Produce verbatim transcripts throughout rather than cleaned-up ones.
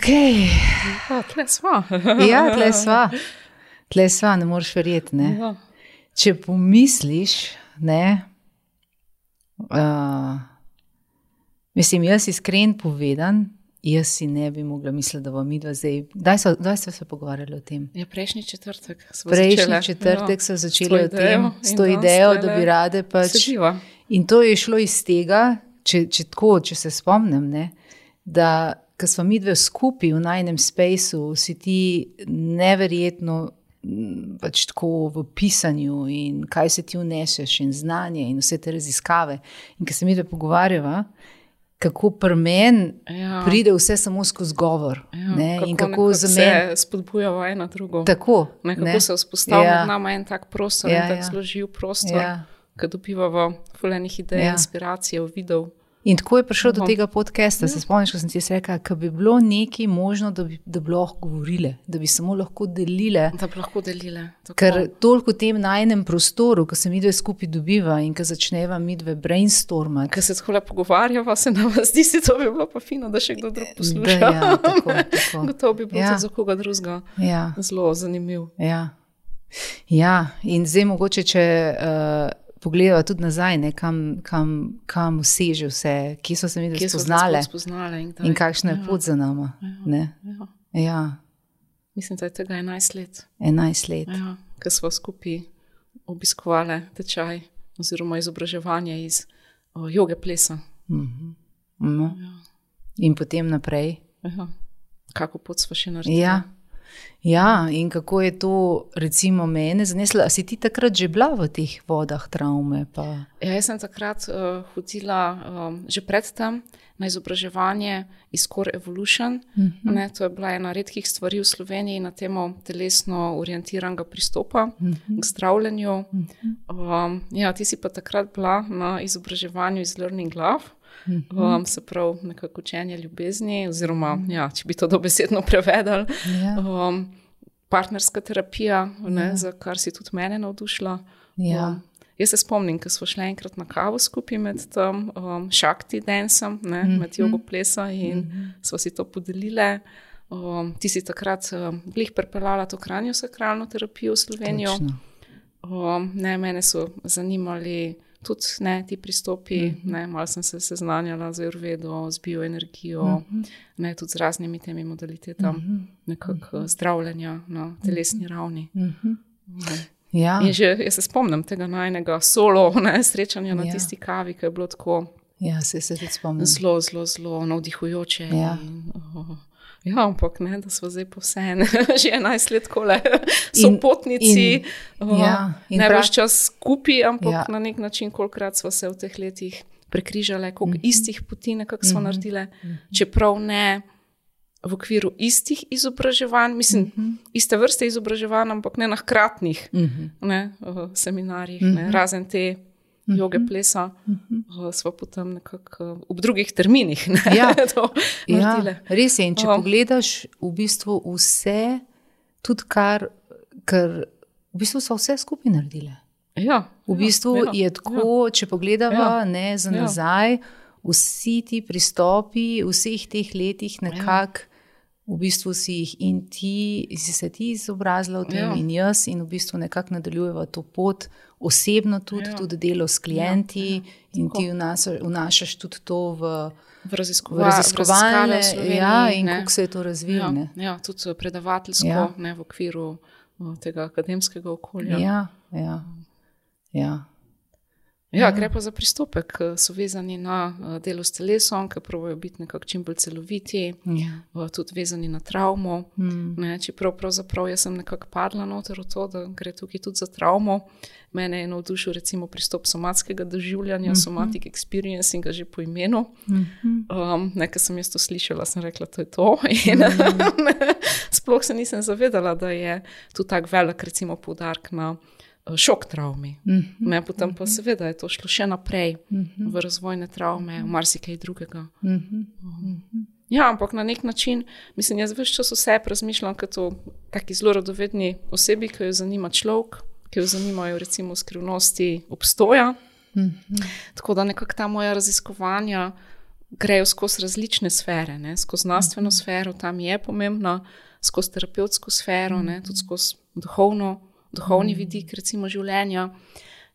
Ok. Ja, tle sva. Ja, tle sva. Tle sva, ne moreš verjeti, ne. Ja. Če pomisliš, ne, uh, mislim, jaz iskren povedan, jaz si ne bi mogla misliti, da bo midva zdaj, daj so, daj so se pogovarjali o tem. Ja, prejšnji četrtek smo Prejšnji začele. četrtek Ja. so začeli o tem, s to in idejo, danes da bi tlele rade pač. sediva. In to je šlo iz tega, če, če tako, če se spomnim, ne, da ko smo midve skupaj v najnem spaceu, si ti neverjetno m, pač tako v pisanju in kaj se ti vneseš in znanje in vse te raziskave. In ko se midve pogovarjava, kako pri meni Ja. pride vse samo skozi govor. Ja, Ne, in kako nekako za meni. se spodbujava ena drugo. Tako. Nekako ne. se vzpostavlja Ja. med nama en tak prostor, Ja, en tak ja. zelo živ prostor, Ja. ki dobivava fulejnih idej, Ja. inspiracije, videov. In tako je prišlo do Aha. tega podcasta. Se spomniš, ko sem ti jaz rekla, ko bi bilo nekaj možno, da bi, da bi lahko govorile, da bi samo lahko delile. Da bi lahko delile. Tako. Ker toliko v tem najnem prostoru, ko se midve skupaj dobiva in ko začneva midve brainstormati. Ker se tako le pogovarjava, se nam zdi, si to bi bilo pa fino, da še kdo drug posluša. Da, ja, tako, tako. Gotovo bi bilo Ja. ja. za koga drugega Ja, zelo zanimiv. ja. Ja, in zdaj mogoče, če uh, pogledava tudi nazaj, ne, kam, kam, kam seže vse, kje so se midve Kje so se spoznale sploh spoznale in, kdaj. in kakšna je Ja, pot za nama. Ne? ja. Ja, Mislim, da je tega enajst let. enajst let. Ja, ker smo skupaj obiskovali tečaj oziroma izobraževanje iz o, joge plesa. Mhm. No. Ja. In potem naprej. Ja. Kako pot smo še naredili? Ja. Ja, in kako je to recimo mene zaneslo? A si ti takrat že bila v teh vodah travme? Pa? Ja, jaz sem takrat uh, hodila um, že predtem na izobraževanje iz Core Evolution. Mhm. Ne, to je bila ena redkih stvari v Sloveniji na temo telesno orientiranega pristopa Mhm. k zdravljenju. Mhm. Um, ja, ti si pa takrat bila na izobraževanju iz Learning Love. Mhm. Um, se pravi, nekako učenje ljubezni, oziroma, ja, če bi to dobesedno prevedali, Ja. um, partnerska terapija, ne, Ja. za kar si tudi mene navdušila. Ja. Um, jaz se spomnim, ko smo šli enkrat na kavo skupaj med tem um, Shakti dansom, ne, Mhm. med jogo plesa in Mhm. smo si to podelile. Um, ti si takrat um, glih pripeljala to kraniosakralno terapijo v Slovenijo. Točno. Um, ne, mene so zanimali tudi ne, ti pristopi, Mhm. ne, malo sem se seznanjala z Ayurvedo, z bioenergijo, Mhm. ne, tudi z raznimi temi modalitetami Mhm. nekako zdravljenja na telesni ravni. Mhm. Ne. Ja. In že jaz se spomnim tega najnega solo ne, srečanja na Ja. tisti kavi, ki je bilo tako Ja, se se tudi spomnim. zelo, zelo, zelo navdihujoče. Ja. In, oh, ja, ampak ne, da smo zdaj povsem že enajst let kole sopotnici, in- oh, ja, in ne prav- več čas skupaj, ampak Ja. na nek način, kolikrat smo se v teh letih prekrižale, koliko Mhm. istih poti nekako smo Mhm. naredile, čeprav ne v okviru istih izobraževanj, mislim, Mhm. iste vrste izobraževanj, ampak ne na hkratnih Mhm. ne, v seminarjih, Mhm. ne, razen te joge plesa, Mhm. uh, smo potem nekako v drugih terminih ne, Ja. to Ja, naredile. res je. In če Um. pogledaš v bistvu vse, tudi kar, ker v bistvu so vse skupaj naredile. Ja, V bistvu ja, je tako, če pogledava Ja. ne, za Ja. nazaj, vsi ti pristopi v vseh teh letih nekako v bistvu si jih in ti, si se ti izobrazila v tem Ja. in jaz in v bistvu nekako nadaljujeva to pot, osebno tudi, Ja. tudi delo s klienti Ja, in tako. ti vnaša- vnašaš tudi to v, v v raziskova, raziskovalne, v Sloveniji, ja, in ne. kako se je to razvilo. ja, ne. ja, tudi predavateljsko, Ja. ne, v okviru uh, tega akademskega okolja. Ja, ja, ja. Ja, gre pa za pristope, ki so vezani na uh, delo s telesom, ki pravijo biti nekako čim bolj celoviti, Ja. uh, tudi vezani na travmo. Mm. Ne, čeprav pravzaprav jaz sem nekako padla noter v to, da gre tukaj tudi za travmo. Mene je navdušil recimo pristop somatskega doživljanja, mm-hmm. somatic experiencing že po imenu. Mhm. Um, Nekaj sem jaz to slišala, sem rekla, to je to. In mm. sploh se nisem zavedala, da je tu tak velik recimo poudarek na uh, šok travmi. Mhm. Ne, potem pa seveda je to šlo še naprej Mhm. v razvojne travme, v marsikaj drugega. Mhm. Mhm. Ja, ampak na nek način, mislim, jaz več čas vse razmišljam kot o taki zelo radovedni osebi, ki jo zanima človek, ki jo zanimajo recimo skrivnosti obstoja. Mhm. Tako da nekako ta moja raziskovanja grejo skozi različne sfere, ne? Skozi znanstveno sfero, tam je pomembno, skozi terapevtsko sfero, ne? Tudi skozi duhovno, duhovni vidik recimo življenja.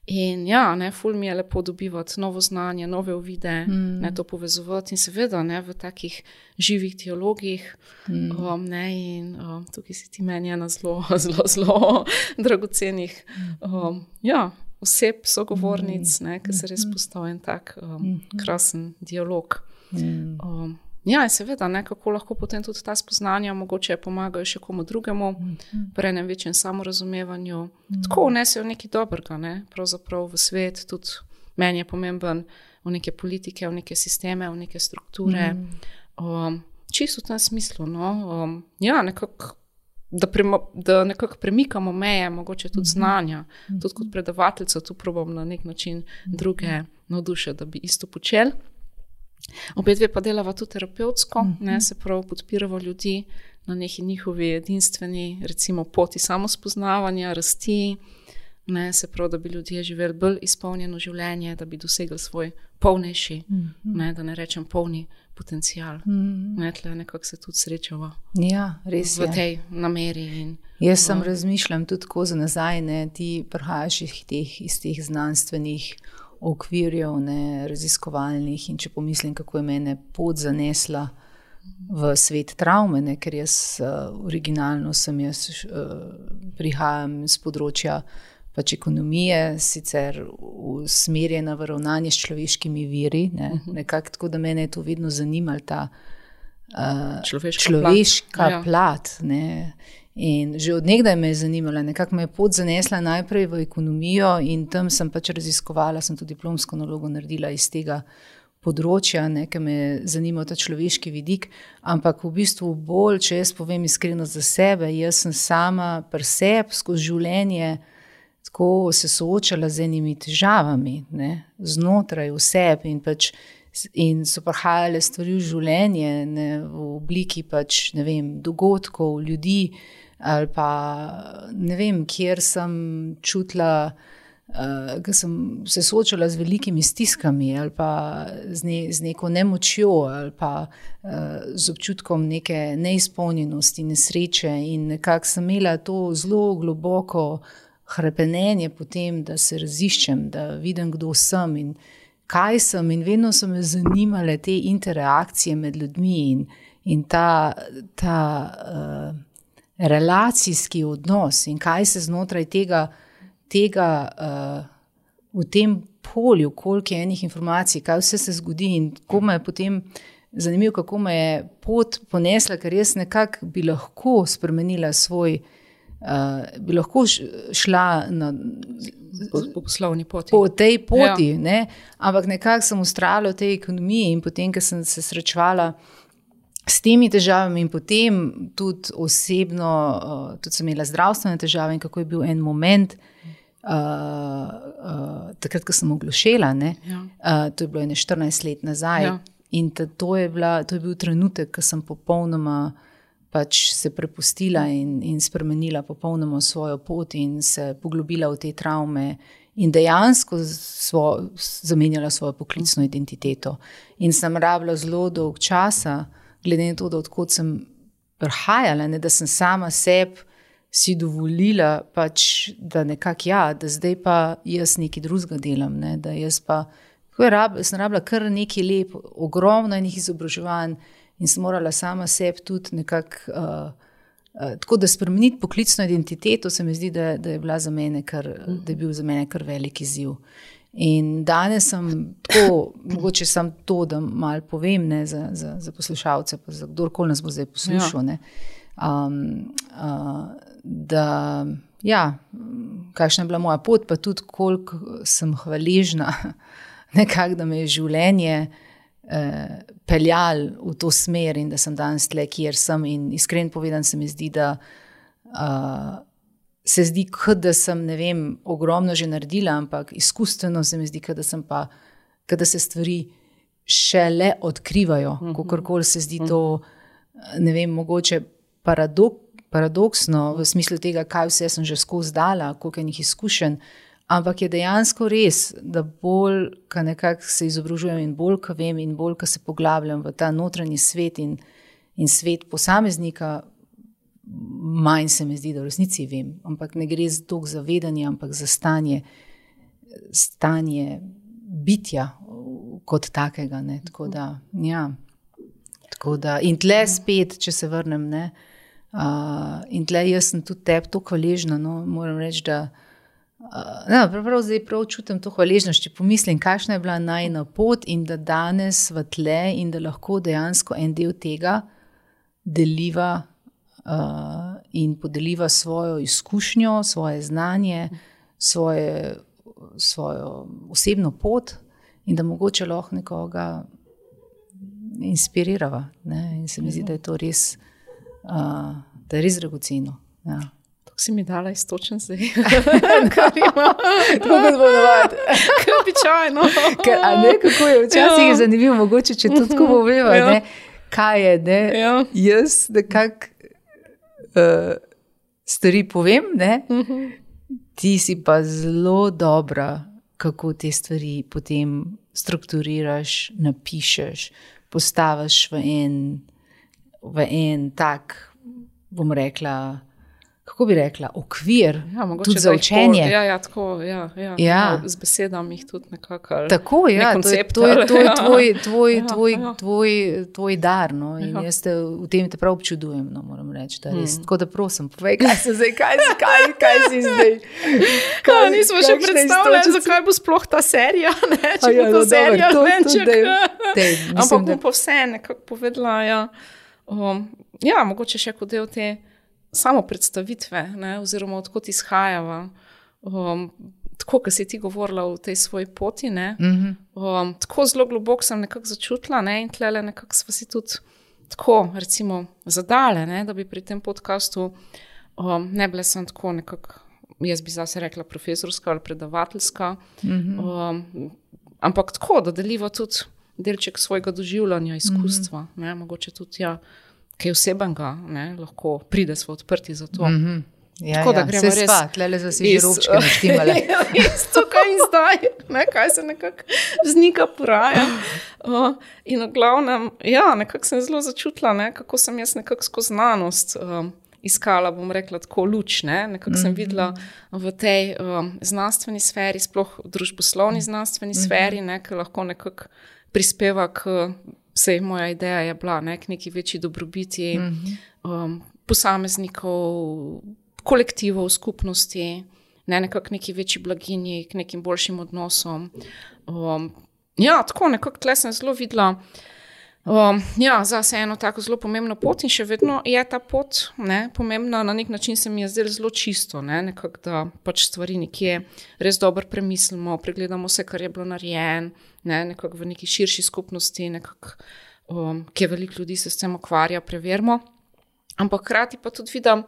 In ja, ne, ful mi je lepo dobivati novo znanje, nove uvide, mm. ne, to povezovati in seveda ne, v takih živih dialogih. Mm. Um, ne, in um, tukaj si ti meni ena zelo, zelo, zelo dragocenih um, ja, oseb, sogovornic, ne, ki se res postavi en tak um, krasen dialog. Mm. Um, ja, in seveda, ne, kako lahko potem tudi ta spoznanja mogoče pomagajo še komu drugemu, mm. pri enem večjem samorazumevanju. Mm. Tako vnesejo nekaj dobrega, ne, pravzaprav v svet, tudi meni je pomemben v neke politike, v neke sisteme, v neke strukture. Mm. Um, čisto v tem smislu, no, um, ja, nekako, da, da nekako premikamo meje, mogoče tudi znanja, mm. tudi kot predavateljica, tu probam na nek način druge navdušiti, da bi isto počeli. Obe dve pa delava tudi terapevtsko, mm-hmm. ne, se prav podpirava ljudi na neki njihovi edinstveni, recimo, poti samospoznavanja, rasti, ne, se prav, da bi ljudje živeli bolj izpolnjeno življenje, da bi dosegli svoj polnejši, mm-hmm. ne, da ne rečem polni potencial. Mm-hmm. Ne, tle nekako se tudi srečava ja, res v je. tej nameri. In, Jaz sem razmišljam tudi tako za nazaj, ne, ti prihajaš iz teh, iz teh znanstvenih okvirjev, ne, raziskovalnih in če pomislim, kako je mene pot zanesla v svet travme, ne, ker jaz uh, originalno sem jaz uh, prihajam z področja pač ekonomije, sicer usmerjena v ravnanje s človeškimi viri, ne, uh-huh. nekako tako, da mene je to vedno zanimalo, ta uh, človeška, človeška plat, plat ja. ne. In že od nekdaj me je zanimala, nekako me je pot zanesla najprej v ekonomijo in tam sem pač raziskovala, sem tudi diplomsko nalogo naredila iz tega področja, ne, ker me je zanimal ta človeški vidik, ampak v bistvu bolj, če jaz povem iskreno za sebe, jaz sem sama pri sebi skozi življenje tako se soočala z enimi težavami, ne, znotraj v sebi in pač in so prihajale stvari v življenje, ne, v obliki pač, ne vem, dogodkov, ljudi, ali pa ne vem, kjer sem čutila, uh, ker sem se soočala z velikimi stiskami ali pa z, ne, z neko nemočjo ali pa uh, z občutkom neke neizpolnjenosti, nesreče in nekako sem imela to zelo globoko hrepenenje potem, da se raziščem, da vidim, kdo sem in kaj sem in vedno so me zanimale te interakcije med ljudmi in, in ta, ta uh, relacijski odnos in kaj se znotraj tega, tega uh, v tem polju, koliko je enih informacij, kaj vse se zgodi in kako me je potem zanimivo, kako me je pot ponesla, ker jaz nekako bi lahko spremenila svoj, uh, bi lahko šla na po, po poslovni poti. Po tej poti, ja. ne? Ampak nekako sem ustrajala v tej ekonomiji in potem, ko sem se srečevala s temi težavami in potem tudi osebno, uh, tudi sem imela zdravstvene težave in kako je bil en moment, uh, uh, takrat, ko sem oglušela, ne? Ja. Uh, to je bilo ene štirinajst let nazaj ja. In ta, to, je bila, to je bil trenutek, ko sem popolnoma pač se prepustila in, in spremenila popolnoma svojo pot in se poglobila v te travme in dejansko svo, zamenjala svojo poklicno identiteto. In sem rabila zelo dolg časa, glede na to, da odkot sem prihajala, ne, da sem sama sebi si dovolila, pač, da nekako ja, da zdaj pa jaz nekaj drugega delam, ne, da jaz pa, kako je rab, sem rabila kar nekaj lep, ogromno enih izobraževanj in sem morala sama sebi tudi nekako, uh, uh, tako da spremeniti poklicno identiteto, se mi zdi, da, da je bila za mene kar, da je bil za mene kar velik izziv. In danes sem tako, mogoče sam to, da malo povem, ne, za, za, za poslušalce, pa za kdorkoli nas bo zdaj poslušal, ja. ne, um, uh, da, ja, kakšna je bila moja pot, pa tudi koliko sem hvaležna, nekako, da me je življenje eh, peljal v to smer in da sem danes tle, kjer sem in iskren povedan se mi zdi, da uh, se zdi, kot da sem, ne vem, ogromno že naredila, ampak izkustveno se mi zdi, kot da sem pa, kot da se stvari šele odkrivajo, uh-huh. kakorkoli se zdi to, ne vem, mogoče paradok, paradoksno v smislu tega, kaj vse sem že skozi dala, koliko enih izkušenj, Ampak je dejansko res, da bolj, ko nekako se izobražujem in bolj, ko vem in bolj, ko se poglabljam v ta notranji svet in, in svet posameznika, manj se mi zdi, da v resnici vem. Ampak ne gre toliko za vedenje, ampak za stanje, stanje bitja kot takega. Ne? Tako da, ja. Tako da, in tle spet, če se vrnem, ne, uh, in tle jaz sem tudi tebi to hvaležna, no, moram reči, da uh, no, prav zdaj prav čutim to hvaležnost, če pomislim, kakšna je bila najina pot in da danes v tle in da lahko dejansko en del tega deliva uh, in podeliva svojo izkušnjo, svoje znanje, svoje, svojo osebno pot in da mogoče lahko nekoga inspirirava. Ne? In se mi zdi, da je to res, uh, da je res dragoceno. Ja. Tako si mi dala istočen zdaj. Kar ima. Tako kot bo navadi. Kaj običajno. A ne, kako je včasih ja. zanimivo, mogoče, če to tako poveva, ja. ne, kaj je, ne, ja. jaz nekak uh, stvari povem, ne, uh-huh. ti si pa zelo dobra, kako te stvari potem strukturiraš, napišeš, postaviš v en, v en tak, bom rekla, kako bi rekla, okvir, ja, tudi za učenje. Ja, ja, tako, ja, ja, ja. Z besedami jih tudi nekako. Tako, ja, to je, to je, to je tvoj, tvoj, ja, tvoj, ja. tvoj, tvoj dar, no, in ja. jaz te, v tem te prav občudujem, no, moram reči, da res. Hmm. Tako da prosim, povej, kaj se zdaj, kaj, kaj, kaj si zdaj? Kaj, ja, nismo še predstavljali, zakaj bo sploh ta serija, ne, če ja, bo to no, serija, venček. Ampak bom pa vse nekako povedala, ja, um, ja, mogoče še kot del te samo predstavitve, ne, oziroma odkot izhajava. Um, tako, ko si ti govorila o tej svoji poti, ne, mm-hmm. um, tako zelo globoko sem nekako začutila, ne, in tlele nekako sva si tudi tako, recimo, zadale, ne, da bi pri tem podcastu um, ne bile sem tako nekako, jaz bi zase rekla profesorska ali predavateljska, mm-hmm. um, ampak tako, da deliva tudi delček svojega doživljanja, izkustva, mm-hmm. ne, mogoče tudi, ja, kaj osebenega, ne, lahko pride smo odprti za to. Mm-hmm. Ja, tako, ja, da gremo se res sva, tlele za si žirobčke naštimale. Iz tukaj in zdaj, ne, kaj se nekako vznika poraja. Uh, in v glavnem, ja, nekako sem zelo začutila, ne, kako sem jaz nekako skozi znanost um, iskala, bom rekla, tako luč, ne, nekako mm-hmm. sem videla v tej um, znanstveni sferi, sploh družboslovni znanstveni mm-hmm. sferi, ne, ki lahko nekako prispeva k Vsej moja ideja je bila, ne, k neki večji dobrobiti mm-hmm. um, posameznikov, kolektivov, skupnosti, ne, nekako neki večji blaginji, k nekim boljšim odnosom. Um, ja, tako nekako tle sem zelo videla, um, ja, zase eno tako zelo pomembno pot in še vedno je ta pot, ne, pomembna, na nek način se mi je zdelo zelo čisto, ne, nekako, da pač stvari nekje res dobro premislimo, pregledamo vse, kar je bilo narejen, ne, nekako v neki širši skupnosti, nekako, um, kje veliko ljudi se s tem ukvarja, preverimo. Ampak hkrati pa tudi vidim,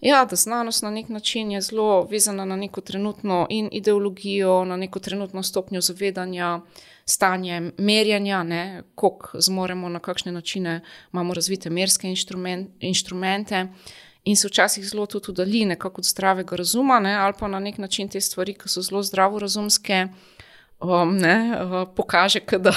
ja, da znanost na nek način je zelo vezana na neko trenutno in ideologijo, na neko trenutno stopnjo zavedanja, stanje merjanja, ne, koliko zmoremo, na kakšne načine imamo razvite merske inštrument, inštrumente in se včasih zelo tudi udalji nekako od zdravega razuma, ne, ali pa na nek način te stvari, ki so zelo zdravorazumske, Um, ne, uh, pokaže, da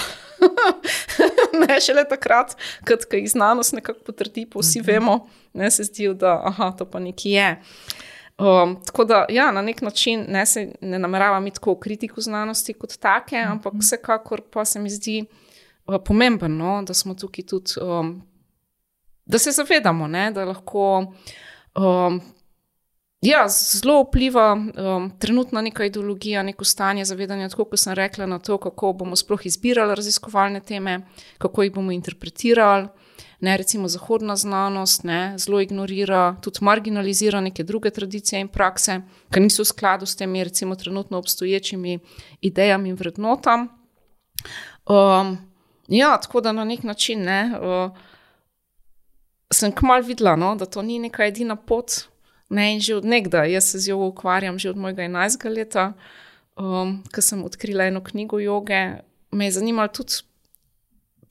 ne šele takrat, kad jih znanost nekako potrdi, pa vsi vemo, ne, se zdi, da aha, to pa nekaj je. Um, tako da, ja, na nek način ne, se ne nameravam iti tako v kritiku znanosti kot take, ampak vsekakor pa se mi zdi uh, pomembno, da smo tukaj tudi, um, da se zavedamo, ne, da lahko um, Ja, zelo vpliva um, trenutna neka ideologija, neko stanje zavedanja, tako kot sem rekla, na to, kako bomo sploh izbirali raziskovalne teme, kako jih bomo interpretirali. Ne, recimo zahodna znanost, ne, zelo ignorira, tudi marginalizira neke druge tradicije in prakse, ki niso v skladu s temi, recimo trenutno obstoječimi idejami in vrednotam. Um, ja, tako da na nek način, ne, uh, sem kmalu videla, no, da to ni neka edina pot. Ne, in že od nekdaj, jaz se z jogo ukvarjam že od mojega enajstega leta, um, ko sem odkrila eno knjigo joge, me je zanimalo tudi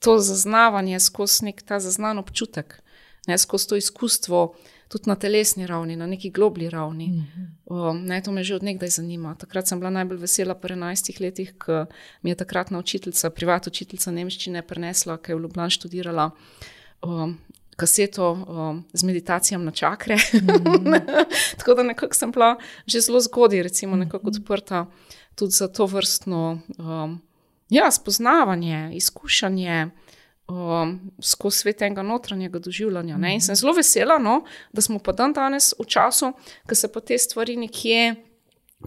to zaznavanje skozi nek ta zaznan občutek, ne, skozi to izkustvo tudi na telesni ravni, na neki globli ravni. Um, ne, to me že od nekdaj zanima. Takrat sem bila najbolj vesela pri enajstih letih, ko mi je takratna učiteljica, privat učiteljica nemščine prinesla, ki je v Ljubljani študirala, um, kaseto um, z meditacijami na čakre. Mm. Tako da nekako sem bila že zelo zgodaj, recimo nekako odprta tudi za to vrstno um, ja, spoznavanje, izkušanje um, skozi svet enega notranjega doživljanja. Ne? In sem zelo vesela, no, da smo pa dan danes v času, ko se pa te stvari nekje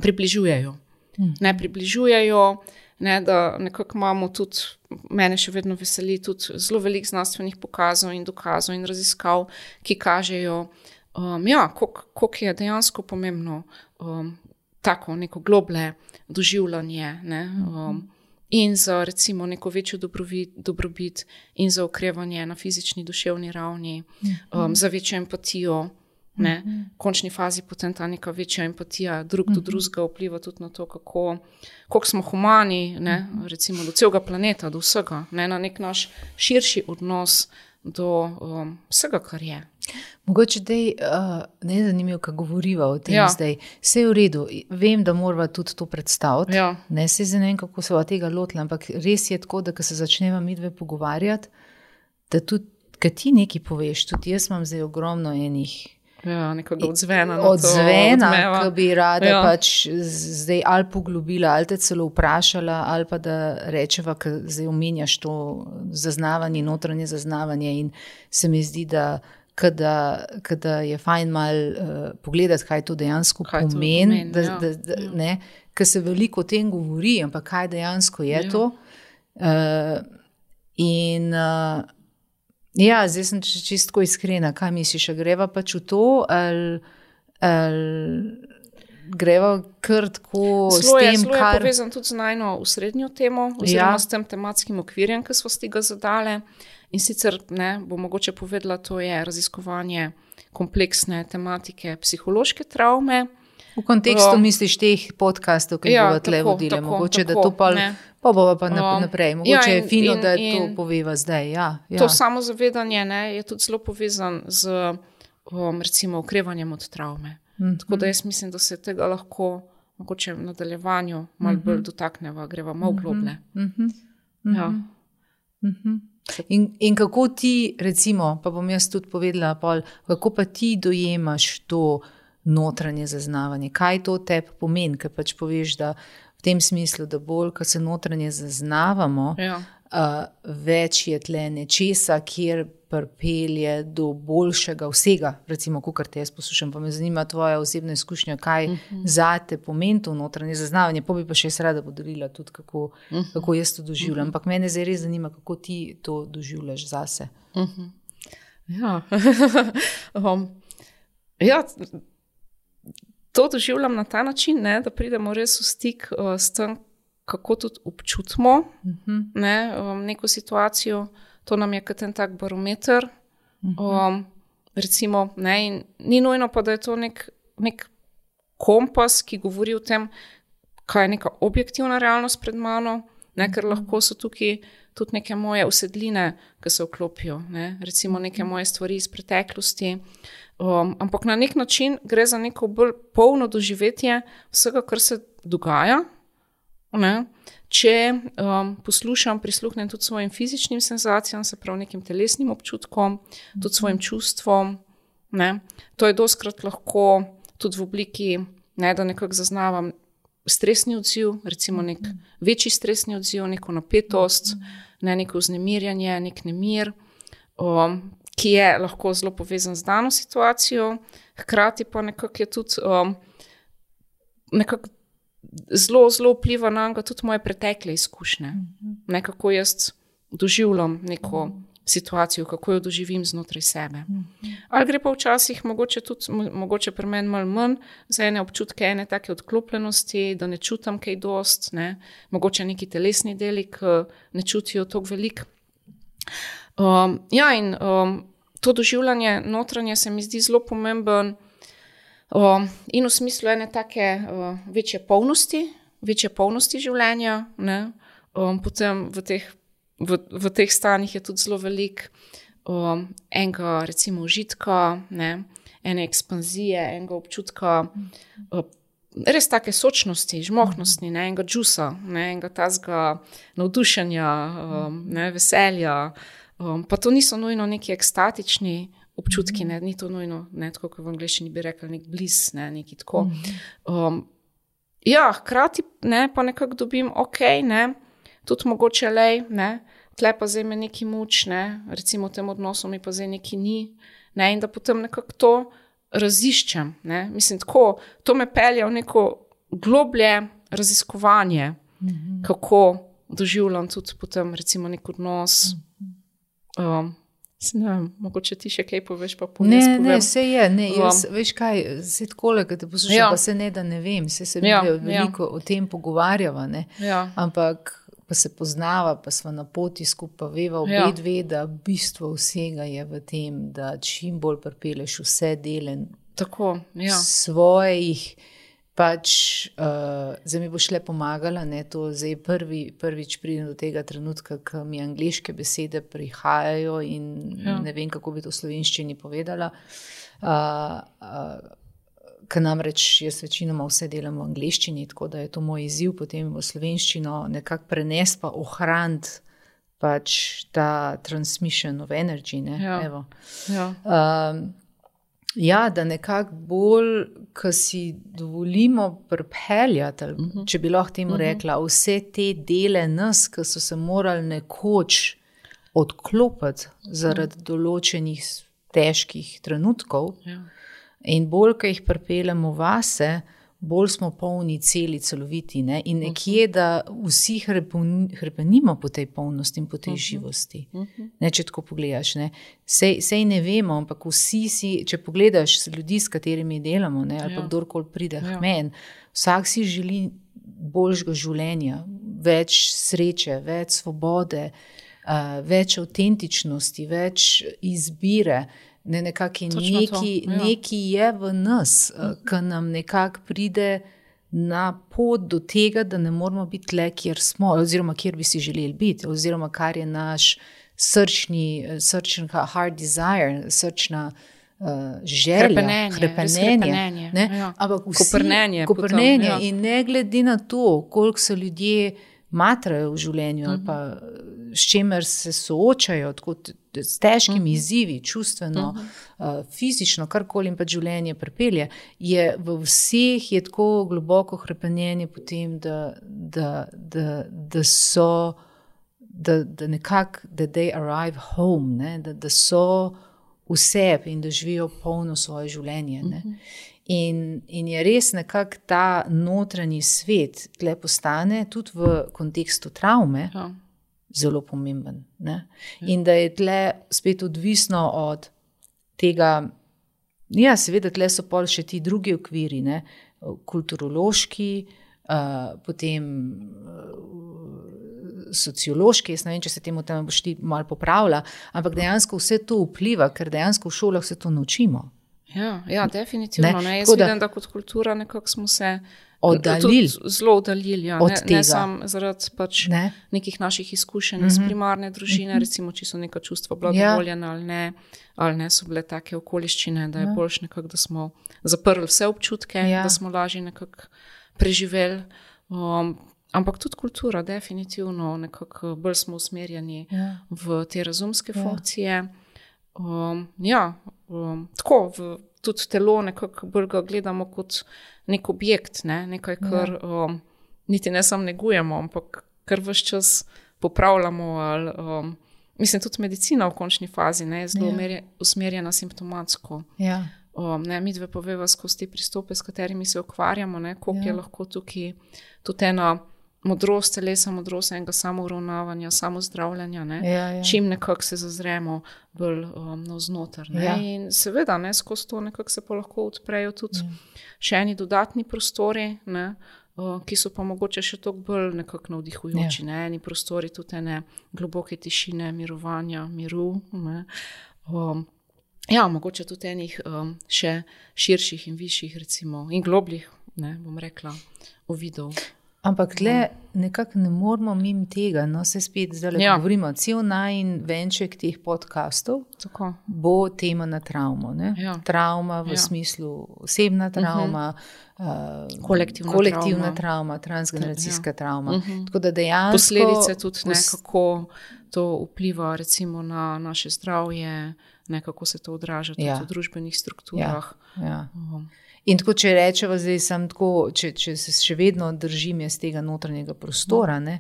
približujejo. Mm. Ne približujejo, ne, da nekako imamo tudi, mene še vedno veseli, tudi zelo veliko znanstvenih pokazov in dokazov in raziskav, ki kažejo, um, ja, koliko je dejansko pomembno um, tako neko globlje doživljanje, ne, um, in za recimo neko večjo dobrobit, dobrobit in za okrevanje na fizični, duševni ravni, um, za večjo empatijo. Ne, v končni fazi potem ta neka večja empatija drug do drugega vpliva tudi na to, kako, koliko smo humani, ne, recimo do celega planeta, do vsega, ne, na nek naš širši odnos do um, vsega, kar je. Mogoče dej, uh, ne je zanimivo, kako govoriva o tem ja. zdaj. Vse je v redu, vem, da morava tudi to predstaviti, ja. ne se ne vem, kako se tega lotila, ampak res je tako, da ko se začneva midve pogovarjati, da tudi, kad ti nekaj poveš, tudi jaz imam zdaj ogromno enih Ja, nekega odzvena. Odzvena, ki bi rada ja. pač zdaj ali poglobila, ali te celo vprašala, ali pa da rečeva, ki zdaj omenjaš to zaznavanje, notranje zaznavanje in se mi zdi, da kada, kada je fajn mal uh, pogledati, kaj to dejansko kaj pomeni, to da, ja. da, da, ja. ne, ker se veliko o tem govori, ampak kaj dejansko je ja. to. Uh, in uh, Ja, zdaj sem čisto iskrena, kaj misliš, greva pač v to, ali, ali greva kar tako s tem, Slo je kar... povezan tudi z najno usrednjo temo, oziroma ja. s tem tematskim okvirjem, ki smo si ga zadale. In sicer, ne, bo mogoče povedala, to je raziskovanje kompleksne tematike psihološke travme. V kontekstu o, misliš teh podcastov, ki ja, bodo tle vodile, tako, mogoče, tako, da to pa... Ne. Pa bova pa naprej. Mogoče ja, in, je fino, in, da to poveva zdaj. Ja, ja. To samozavedanje ne, je tudi zelo povezan z um, recimo okrevanjem od travme. Mm-hmm. Tako da jaz mislim, da se tega lahko mogoče v nadaljevanju malo bolj mm-hmm. dotakneva, greva malo globlje. Mm-hmm. Ja. Mm-hmm. In, in kako ti, recimo, pa bom jaz tudi povedala, pol, kako pa ti dojemaš to notranje zaznavanje? Kaj to tebi pomeni, ker pač poveš, da v tem smislu, da bolj, ko se notranje zaznavamo, ja. uh, več je tle nečesa, kjer pripelje do boljšega vsega, recimo, kakor te jaz poslušam, pa me zanima tvoja osebna izkušnja, kaj uh-huh. zate pomeni to notranje zaznavanje, pa bi pa še jaz rada podarila tudi, kako, uh-huh. kako jaz to doživljam, uh-huh. ampak mene zdaj res zanima, kako ti to doživljaš zase. Uh-huh. Ja, um, ja, to doživljam na ta način, ne, da pridemo res v stik uh, s tem, kako tudi občutimo uh-huh. ne, um, neko situacijo. To nam je kot en tak barometer. Uh-huh. Um, recimo, ne, in ni nujno pa, da je to nek, nek kompas, ki govori o tem, kaj je neka objektivna realnost pred mano, ne, ker lahko so tukaj tudi neke moje usedline, ki se vklopijo, ne, recimo neke moje stvari iz preteklosti. Um, ampak na nek način gre za neko bolj polno doživetje vsega, kar se dogaja. Ne? Če um, poslušam, prisluhnem tudi svojim fizičnim senzacijam, se pravi nekim telesnim občutkom, tudi svojim čustvom. Ne? To je dostkrat lahko tudi v obliki, ne, da nekako zaznavam stresni odziv, recimo nek večji stresni odziv, neko napetost, ne, neko vznemirjanje, nek nemir, um, ki je lahko zelo povezan z dano situacijo, hkrati pa nekako je tudi um, nekako zelo, zelo vpliva na njega tudi moje pretekle izkušnje. Nekako jaz doživljam neko situacijo, kako jo doživim znotraj sebe. Ali gre pa včasih mogoče tudi, mogoče pri meni malo manj, za ene občutke, ene take odklopljenosti, da ne čutam kaj dost, ne, mogoče neki telesni deli, ki ne čutijo toliko veliko. Um, ja, in um, to doživljanje notranje se mi zdi zelo pomemben um, in v smislu ene take uh, večje polnosti, večje polnosti življenja, ne, um, potem v teh, v, v teh stanjih je tudi zelo velik um, enega recimo užitka, ne, ene ekspanzije, enega občutka, uh, res take sočnosti, žmohnosti, ne, enega džusa, ne, enega tazga navdušenja, um, ne, veselja. Um, pa to niso nujno neki ekstatični občutki, ne, ni to nujno, ne, tako kot v angleščini bi rekli, nek bliss, ne, neki tako. Um, ja, hkrati, ne, pa nekako dobim, ok, ne, tudi mogoče lej, ne, tle pa zdaj me neki muč, ne, recimo v tem odnosu mi pa zdaj neki ni, ne, in da potem nekako to raziščem, ne, mislim tako, to me pelje v neko globlje raziskovanje, mm-hmm. kako doživljam tudi potem recimo nek odnos. Um, ne vem, mogoče ti še kaj poveš, pa povem. Ne, ne, vse je, ne, jaz, um, veš kaj, se takole, kad te poslušam, ja. Pa se ne, da ne vem, se se ja, veliko ja. O tem pogovarjava, ne, ja. Ampak pa se poznava, pa sva na poti skupaj, veva obe ja. Dve, da bistvo vsega je v tem, da čim bolj pripeleš vse dele tako, ja. Svojih, pač, uh, zdaj mi bo šle pomagala, ne, to zdaj prvi, prvič pridem do tega trenutka, ko mi angleške besede prihajajo in ja. Ne vem, kako bi to v slovenščini povedala, uh, uh, ker namreč jaz večinoma vse delam v angleščini, tako da je to moj izziv potem v slovenščino nekako prenes pa ohraniti pač ta transmission of energy, ne, ja. Evo. Ja. Um, Ja, da nekako bolj, ko si dovolimo pripeljati, uh-huh. če bi lahko temu uh-huh. rekla, vse te dele nas, ki so se morali nekoč odklopiti zaradi uh-huh. določenih težkih trenutkov ja. In bolj, ko jih pripeljamo vase, bolj smo polni celi, celoviti, ne? In nekje, da vsi hrepenimo po tej polnosti in po tej uh-huh. živosti. Uh-huh. Ne, če tako pogledaš, ne? Sej, sej ne vemo, ampak vsi si, če pogledaš ljudi, s katerimi delamo, ne? Ali pa ja. Kdorkoli pride ja. Men, vsak si želi boljšega življenja, več sreče, več svobode, uh, več avtentičnosti, več izbire. Ne, nekaki neki, ja. Neki je v nas, uh, ki nam nekako pride na pot do tega, da ne moramo biti tle, kjer smo, oziroma kjer bi si želeli biti, oziroma kar je naš srčni, srčni hard desire, srčna uh, želja, hrepenenje, hrepenenje, ne? Ja. Ampak vsi, koprnenje, koprnenje potem, ja. In ne glede na to, koliko so ljudje matrajo v življenju, uh-huh. ali pa s čemer se soočajo, tako s težkimi uh-huh. izzivi, čustveno, uh-huh. uh, fizično, karkoli jim pa življenje pripelje, je v vseh je tako globoko hrepenenje potem, da, da, da, da so, da, da nekako, da they arrive home, ne? Da, da so v sebi in da živijo polno svoje življenje. Ne? Uh-huh. In, in je res nekako ta notranji svet tle postane tudi v kontekstu travme ja. Zelo pomemben. Ne? Ja. In da je tle spet odvisno od tega, ja, seveda tle so pol še ti drugi okviri, ne? Kulturološki, uh, potem uh, sociološki, jaz ne vem, če se temu tam boš ti malo popravila, ampak dejansko vse to vpliva, ker dejansko v šolah se to naučimo. Ja, ja, definitivno. Ne? Ne? Jaz vidim, da kot kultura nekako smo se oddaljili. Zelo oddaljili, ja. ne, ne samo zaradi pač ne? Nekih naših izkušenj mm-hmm. iz primarne družine, mm-hmm. recimo, če so neka čustva bila ja. dovoljena ali ne, ali ne so bile take okoliščine, da je ja. Boljš nekako, da smo zaprli vse občutke, ja. Da smo lažje nekako preživeli. Um, ampak tudi kultura, definitivno, nekako bolj smo usmerjeni ja. V te razumske ja. Funkcije. Um, ja, um, tako, v, tudi telo nekako bolj ga gledamo kot nek objekt, ne? Nekaj, kar um, niti ne samo negujemo, ampak kar ves čas popravljamo. Ali, um, mislim, tudi medicina v končni fazi ne, je zelo ja. Usmerjena simptomatsko. Ja. Um, ne, mi dve poveva skozi te pristope, s katerimi se ukvarjamo, ne, koliko ja. Je lahko tukaj tudi ena modrost telesa, modrost enega samouravnavanja, samozdravljanja, ne? Ja, ja. Čim nekako se zazremo bolj um, navznoter. Ne? Ja. In seveda, ne, skozi to nekako se pa lahko odprejo tudi ja. Še eni dodatni prostori, ne, uh, ki so pa mogoče še toliko bolj nekako navdihujoči. Ja. Ne? Eni prostori tudi ene globoke tišine, mirovanja, miru. Ne? Um, ja, mogoče tudi enih um, še širših in višjih, recimo, in globljih, ne, bom rekla, uvidov. Ampak tle nekako ne moramo mimo tega, no se spet zdaj Ja. govorimo, cel najin venček teh podcastov Tako. bo tema na travmo. Ne? Ja. Travma v Ja. smislu osebna travma, uh, Kolektivna kolektivna travma. travma, transgeneracijska Ja. travma. Mhm. Tako da dejansko Posledice tudi, ne, pos- kako to vpliva recimo na naše zdravje, ne, kako se to odraža tudi Ja. v družbenih strukturah. Ja. Um, In tako, če rečemo, zdaj sem tako, če, če se še vedno držim jaz tega notranjega prostora, ne,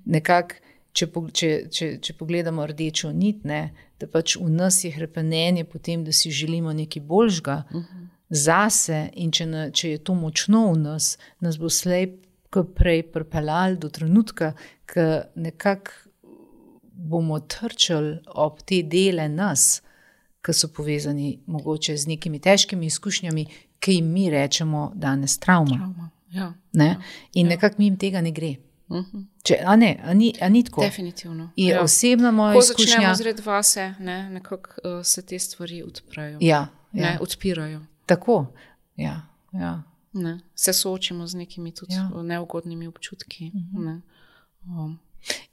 nekako, če, po- če, če, če pogledamo rdečo nit, ne, da pač v nas je hrepenenje potem, da si želimo nekaj boljšega zase in če, na, če je to močno v nas, nas bo slej kot prej pripeljali do trenutka, ko nekako bomo trčali ob te dele nas, ki so povezani mogoče z nekimi težkimi izkušnjami, ki jim mi rečemo danes travma. travma. Ja. Ne? In nekako mi jim tega ne gre. Mhm. Če, a ne, a ni, a ni tako? Definitivno. Je Ja. osebna moja Ko izkušnja. začnemo zred vase, ne, nekako uh, se te stvari odprejo, Ja, ne, ja. odpirajo. Tako. Ja, ja. Ne. Se soočimo z nekimi tudi Ja. ja. neugodnimi občutki. Ne. Um,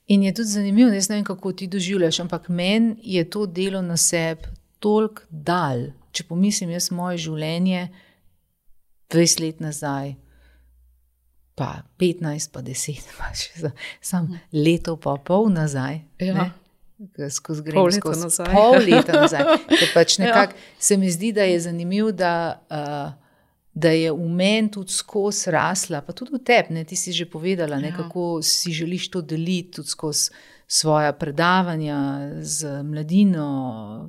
In je tudi zanimivo, ne vem, kako ti doživljaš, ampak meni je to delo na sebi toliko dal. Če pomislim, jaz moje življenje dvajset let nazaj, pa petnajst, pa deset, pa še za, sam leto pa pol nazaj. Ja. Ne? Ke skozi grem Pol leta skozi nazaj. pol leta nazaj. Ker pač Ja. nekako se mi zdi, da je zanimivo, da, uh, da je v meni tudi skozi rasla, pa tudi v tebi, ne, ti si že povedala, ne, Ja. kako si želiš to deliti tudi skozi svoja predavanja z mladino,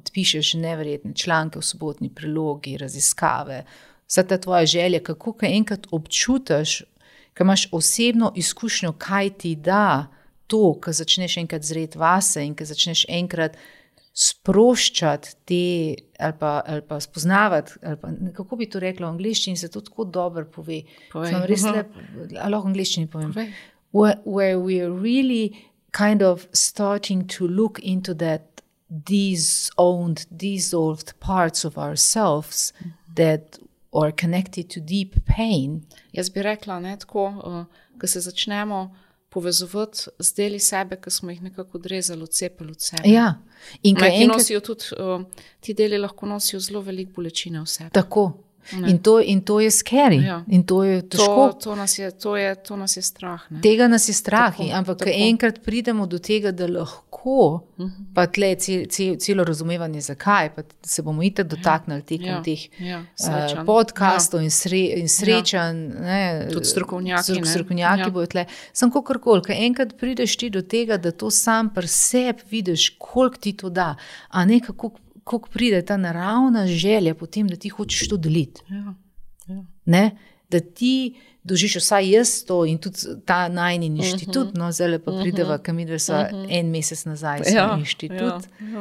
pišeš neverjetne članke v Sobotni prilogi, raziskave, vsa ta tvoja želja, kako kaj enkrat občutiš, ko imaš osebno izkušnjo, kaj ti da to, ko začneš enkrat zreti vase in ko začneš enkrat sproščati te, ali pa, ali pa spoznavati, ali pa, kako bi to rekla v angleščini, se to tako dobro pove. Povej. Sem res lep, ali lahko v angleščini povem. Povej. Where, where we are really kind of starting to look into that disowned, dissolved parts of ourselves that are connected to deep pain. Jaz bi rekla, ne, tako, uh, ko se začnemo povezovati z deli sebe, ki smo jih nekako odrezali, odcepili od sebe. Ja, in Ne, kaj ki enkrat nosijo tudi, uh, ti deli lahko nosijo zelo veliko bolečine v sebi. tako. In to, in to je scary, Ja. in to je težko. To, to, nas je, to, je, to nas je strah. Ne? Tega nas je strah, Tako, ampak ko tako. enkrat pridemo do tega, da lahko, pa tle cel, cel, celo razumevanje zakaj, pa se bomo itak dotaknili tekom Ja, teh ja, eh, srečanj. podcastov in, sre, in srečanj. Ne, Tudi strokovnjaki, strok- ne. Strokovnjaki Ja. bojo tle. Sam kakorkoli, ko enkrat prideš ti do tega, da to sam pri sebi vidiš, koliko ti to da, a ne kako, kako pride ta naravna želja potem, da ti hočeš to deliti. Ja, ja. Ne? Da ti dožiš, vsaj jaz to in tudi ta najni inštitut, uh -huh. no zdaj pa prideva, kam mi dve sva uh -huh. en mesec nazaj smo Ja, inštitut ja, ja.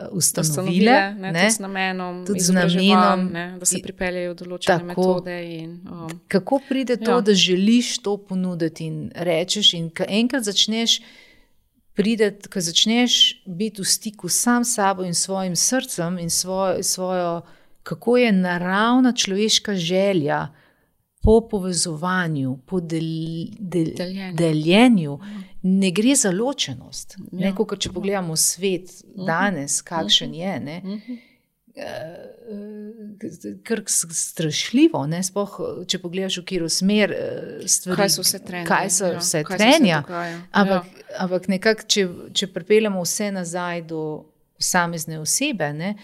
uh, ustanovile, Ustanovile, ne, ne? tudi z namenom, Tudi z izobraževanj, namenom ne, da se i- pripeljejo določene tako. metode. In, um, Kako pride to, Ja. da želiš to ponuditi in rečeš in ko enkrat začneš prideti, ko začneš biti v stiku sam s sabo in svojim srcem in svojo, svojo kako je naravna človeška želja po povezovanju, po del, del, Deljenju. deljenju, ne gre za ločenost. Ja. Ne, kot če pogledamo svet danes, kakšen je, ne, kar strašljivo, ne, sploh, če pogledaš v katero smer eh, stvari, Kaj so vse trenje, kaj so ja, vse kaj se trenja, vse dogaja, ampak, ja. ampak nekako, če, če pripeljamo vse nazaj do posamezne osebe, ne,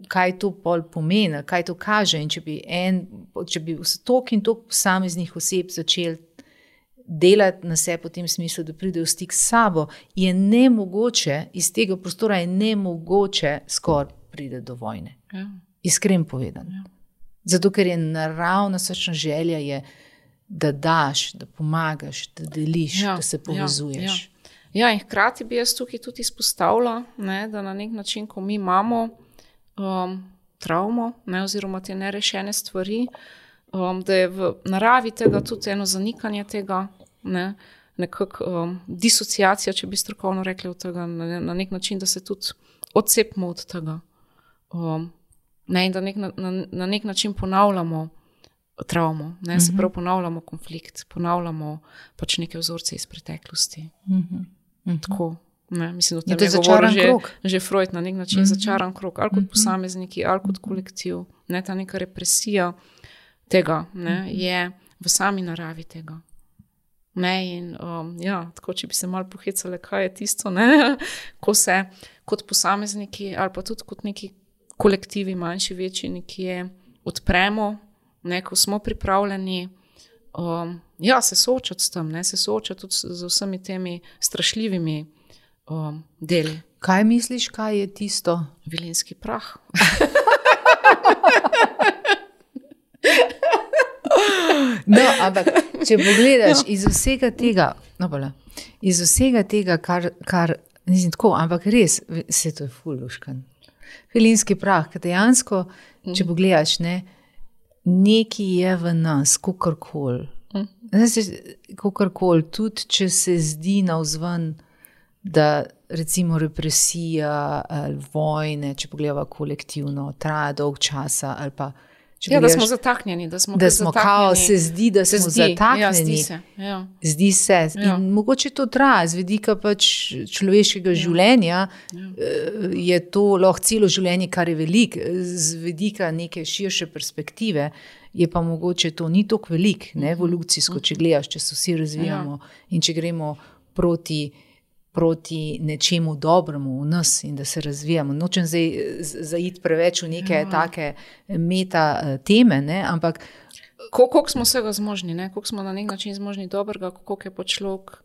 kaj to pol pomeni, kaj to kaže in če bi, en, če bi toliko in toliko posameznih oseb začeli delati na sebe v tem smislu, da pridejo v stik s sabo, je nemogoče, iz tega prostora je nemogoče skoraj pride do vojne. Ja. Iskreno povedano. Ja. Zato, ker je naravna srčna želja, je, da daš, da pomagaš, da deliš, Ja, da se povezuješ. Ja, ja. Ja, in hkrati bi jaz tukaj tudi izpostavila, ne, da na nek način, ko mi imamo um, travmo, ne, oziroma te nerešene stvari, um, da je v naravi tega tudi eno zanikanje tega, ne, nekak um, disociacija, če bi strokovno rekli od tega, na, na nek način, da se tudi odcepimo od tega. Um, ne, in da nek, na, na, na nek način ponavljamo travmo, ne, se prav ponavljamo konflikt, ponavljamo pač neke vzorce iz preteklosti. Mhm. Mhm. Tako, ne, mislim, da Je tam to je govoril začaran že, krog. že Freud na nek način Mhm. začaran krog, ali kot posamezniki, ali kot kolektiv, ne, ta neka represija tega, ne, je v sami naravi tega. Ne, in um, ja, tako, če bi se malo pohecale, kaj je tisto, ne, ko se kot posamezniki ali pa tudi kot neki kolektivi, manjši, večji, nekje odpremo, ne, ko smo pripravljeni um, ja, se soočati s tem, ne, se soočati tudi z, z vsemi temi strašljivimi um, deli. Kaj misliš, kaj je tisto? Vilinski prah. No, ampak če pogledaš iz vsega tega, no, bola, iz vsega tega, kar, kar nisem tako, ampak res, se to je fuluškan. Vilinski prah, ker dejansko, če pogledaš, ne, nekaj je v nas, kakorkoli. Kakorkoli, tudi če se zdi navzven, da recimo represija ali vojne, če pogledava kolektivno, traja dolg časa ali pa Ja, da smo zataknjeni, da smo, da smo kao, se zdi, da se smo zdi, zataknjeni. Ja, zdi se. Ja. Zdi se. Ja. In mogoče to traja, z vidika pač človeškega ja. življenja, Ja. je to lahko celo življenje, kar je velik, z vidika neke širše perspektive, je pa mogoče to ni toliko velik, ne, evolucijsko, če gledaš, če se vsi razvijamo ja. in če gremo proti proti nečemu dobremu v nas in da se razvijamo. Nočem zdaj zaiti preveč v neke ja. take meta teme, ne, ampak koliko smo vsega zmožni, ne? Koliko smo na nek način zmožni dobrega, koliko je pa človek,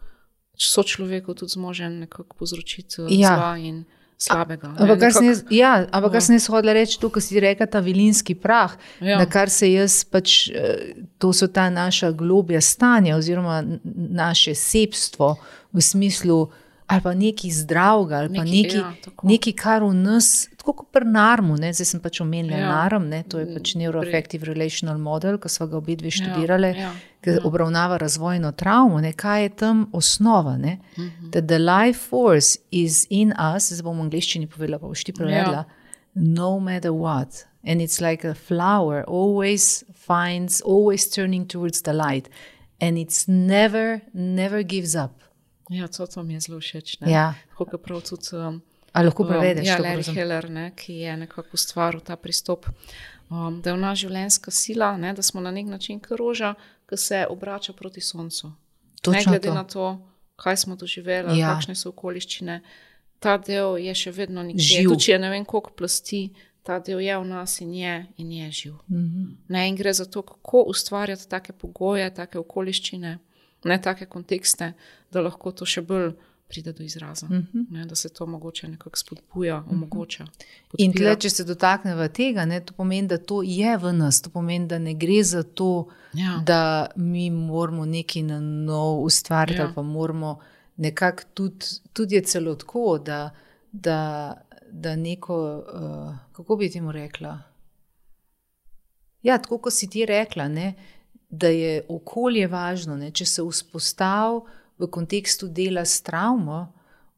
sočloveku tudi zmožen nekako povzročiti ja. zla in slabega. Ampak kar sem jaz, ja, ampak Ja. kar sem jaz hodila reči, to, kar si rekla, ta vilinski prah, Ja. na kar se jaz pač, to so ta naša globja stanja oziroma naše sebstvo v smislu ali pa nekaj zdravega, ali pa Nekaj, nekaj, ja, tako. nekaj kar v nas, tako kot pri narmu, ne, zdaj sem pač omenila Ja. narm, ne, to je pač neuroaffective relational model, ko sva ga obe dve Ja, študirale, ja, ki ja. obravnava razvojno travmo, ne, kaj je tam osnova, ne, Mhm. that the life force is in us, zdaj bom v angleščini povedala, pa boš ti prevedla, no matter what. And it's like a flower, always finds, always turning towards the light. And it's never, never gives up. Ja, to, to mi je zelo všeč. Ne? Ja. Tako kot prav tudi um, A lahko prevedeš? ja, to Larry prosim? Heller, ne, ki je nekako ustvaril ta pristop, um, da je v nas življenjska sila, ne, da smo na nek način kot roža, ki se obrača proti soncu. Točno Ne glede to. na to, kaj smo doživeli, Ja. kakšne so okoliščine. Ta del je še vedno nekje. Živ. Tudi če je ne vem koliko plasti, ta del je v nas in je, in je živ. Mhm. Ne, in gre za to, kako ustvarjati take pogoje, take okoliščine, ne take kontekste, da lahko to še bolj pride do izraza. Mhm. Ne, da se to mogoče nekako spodbuja, omogoča. In podpira. tle, če se dotakneva tega, ne, to pomeni, da to je v nas, to pomeni, da ne gre za to, Ja. da mi moramo nekaj na nov ustvariti, Ja. ali pa moramo nekako tudi, tudi je celo tako, da, da, da neko, uh, kako bi temu rekla? Ja, tako kot si ti rekla, ne, da je okolje važno, ne, če se vzpostavi v kontekstu dela s travmo,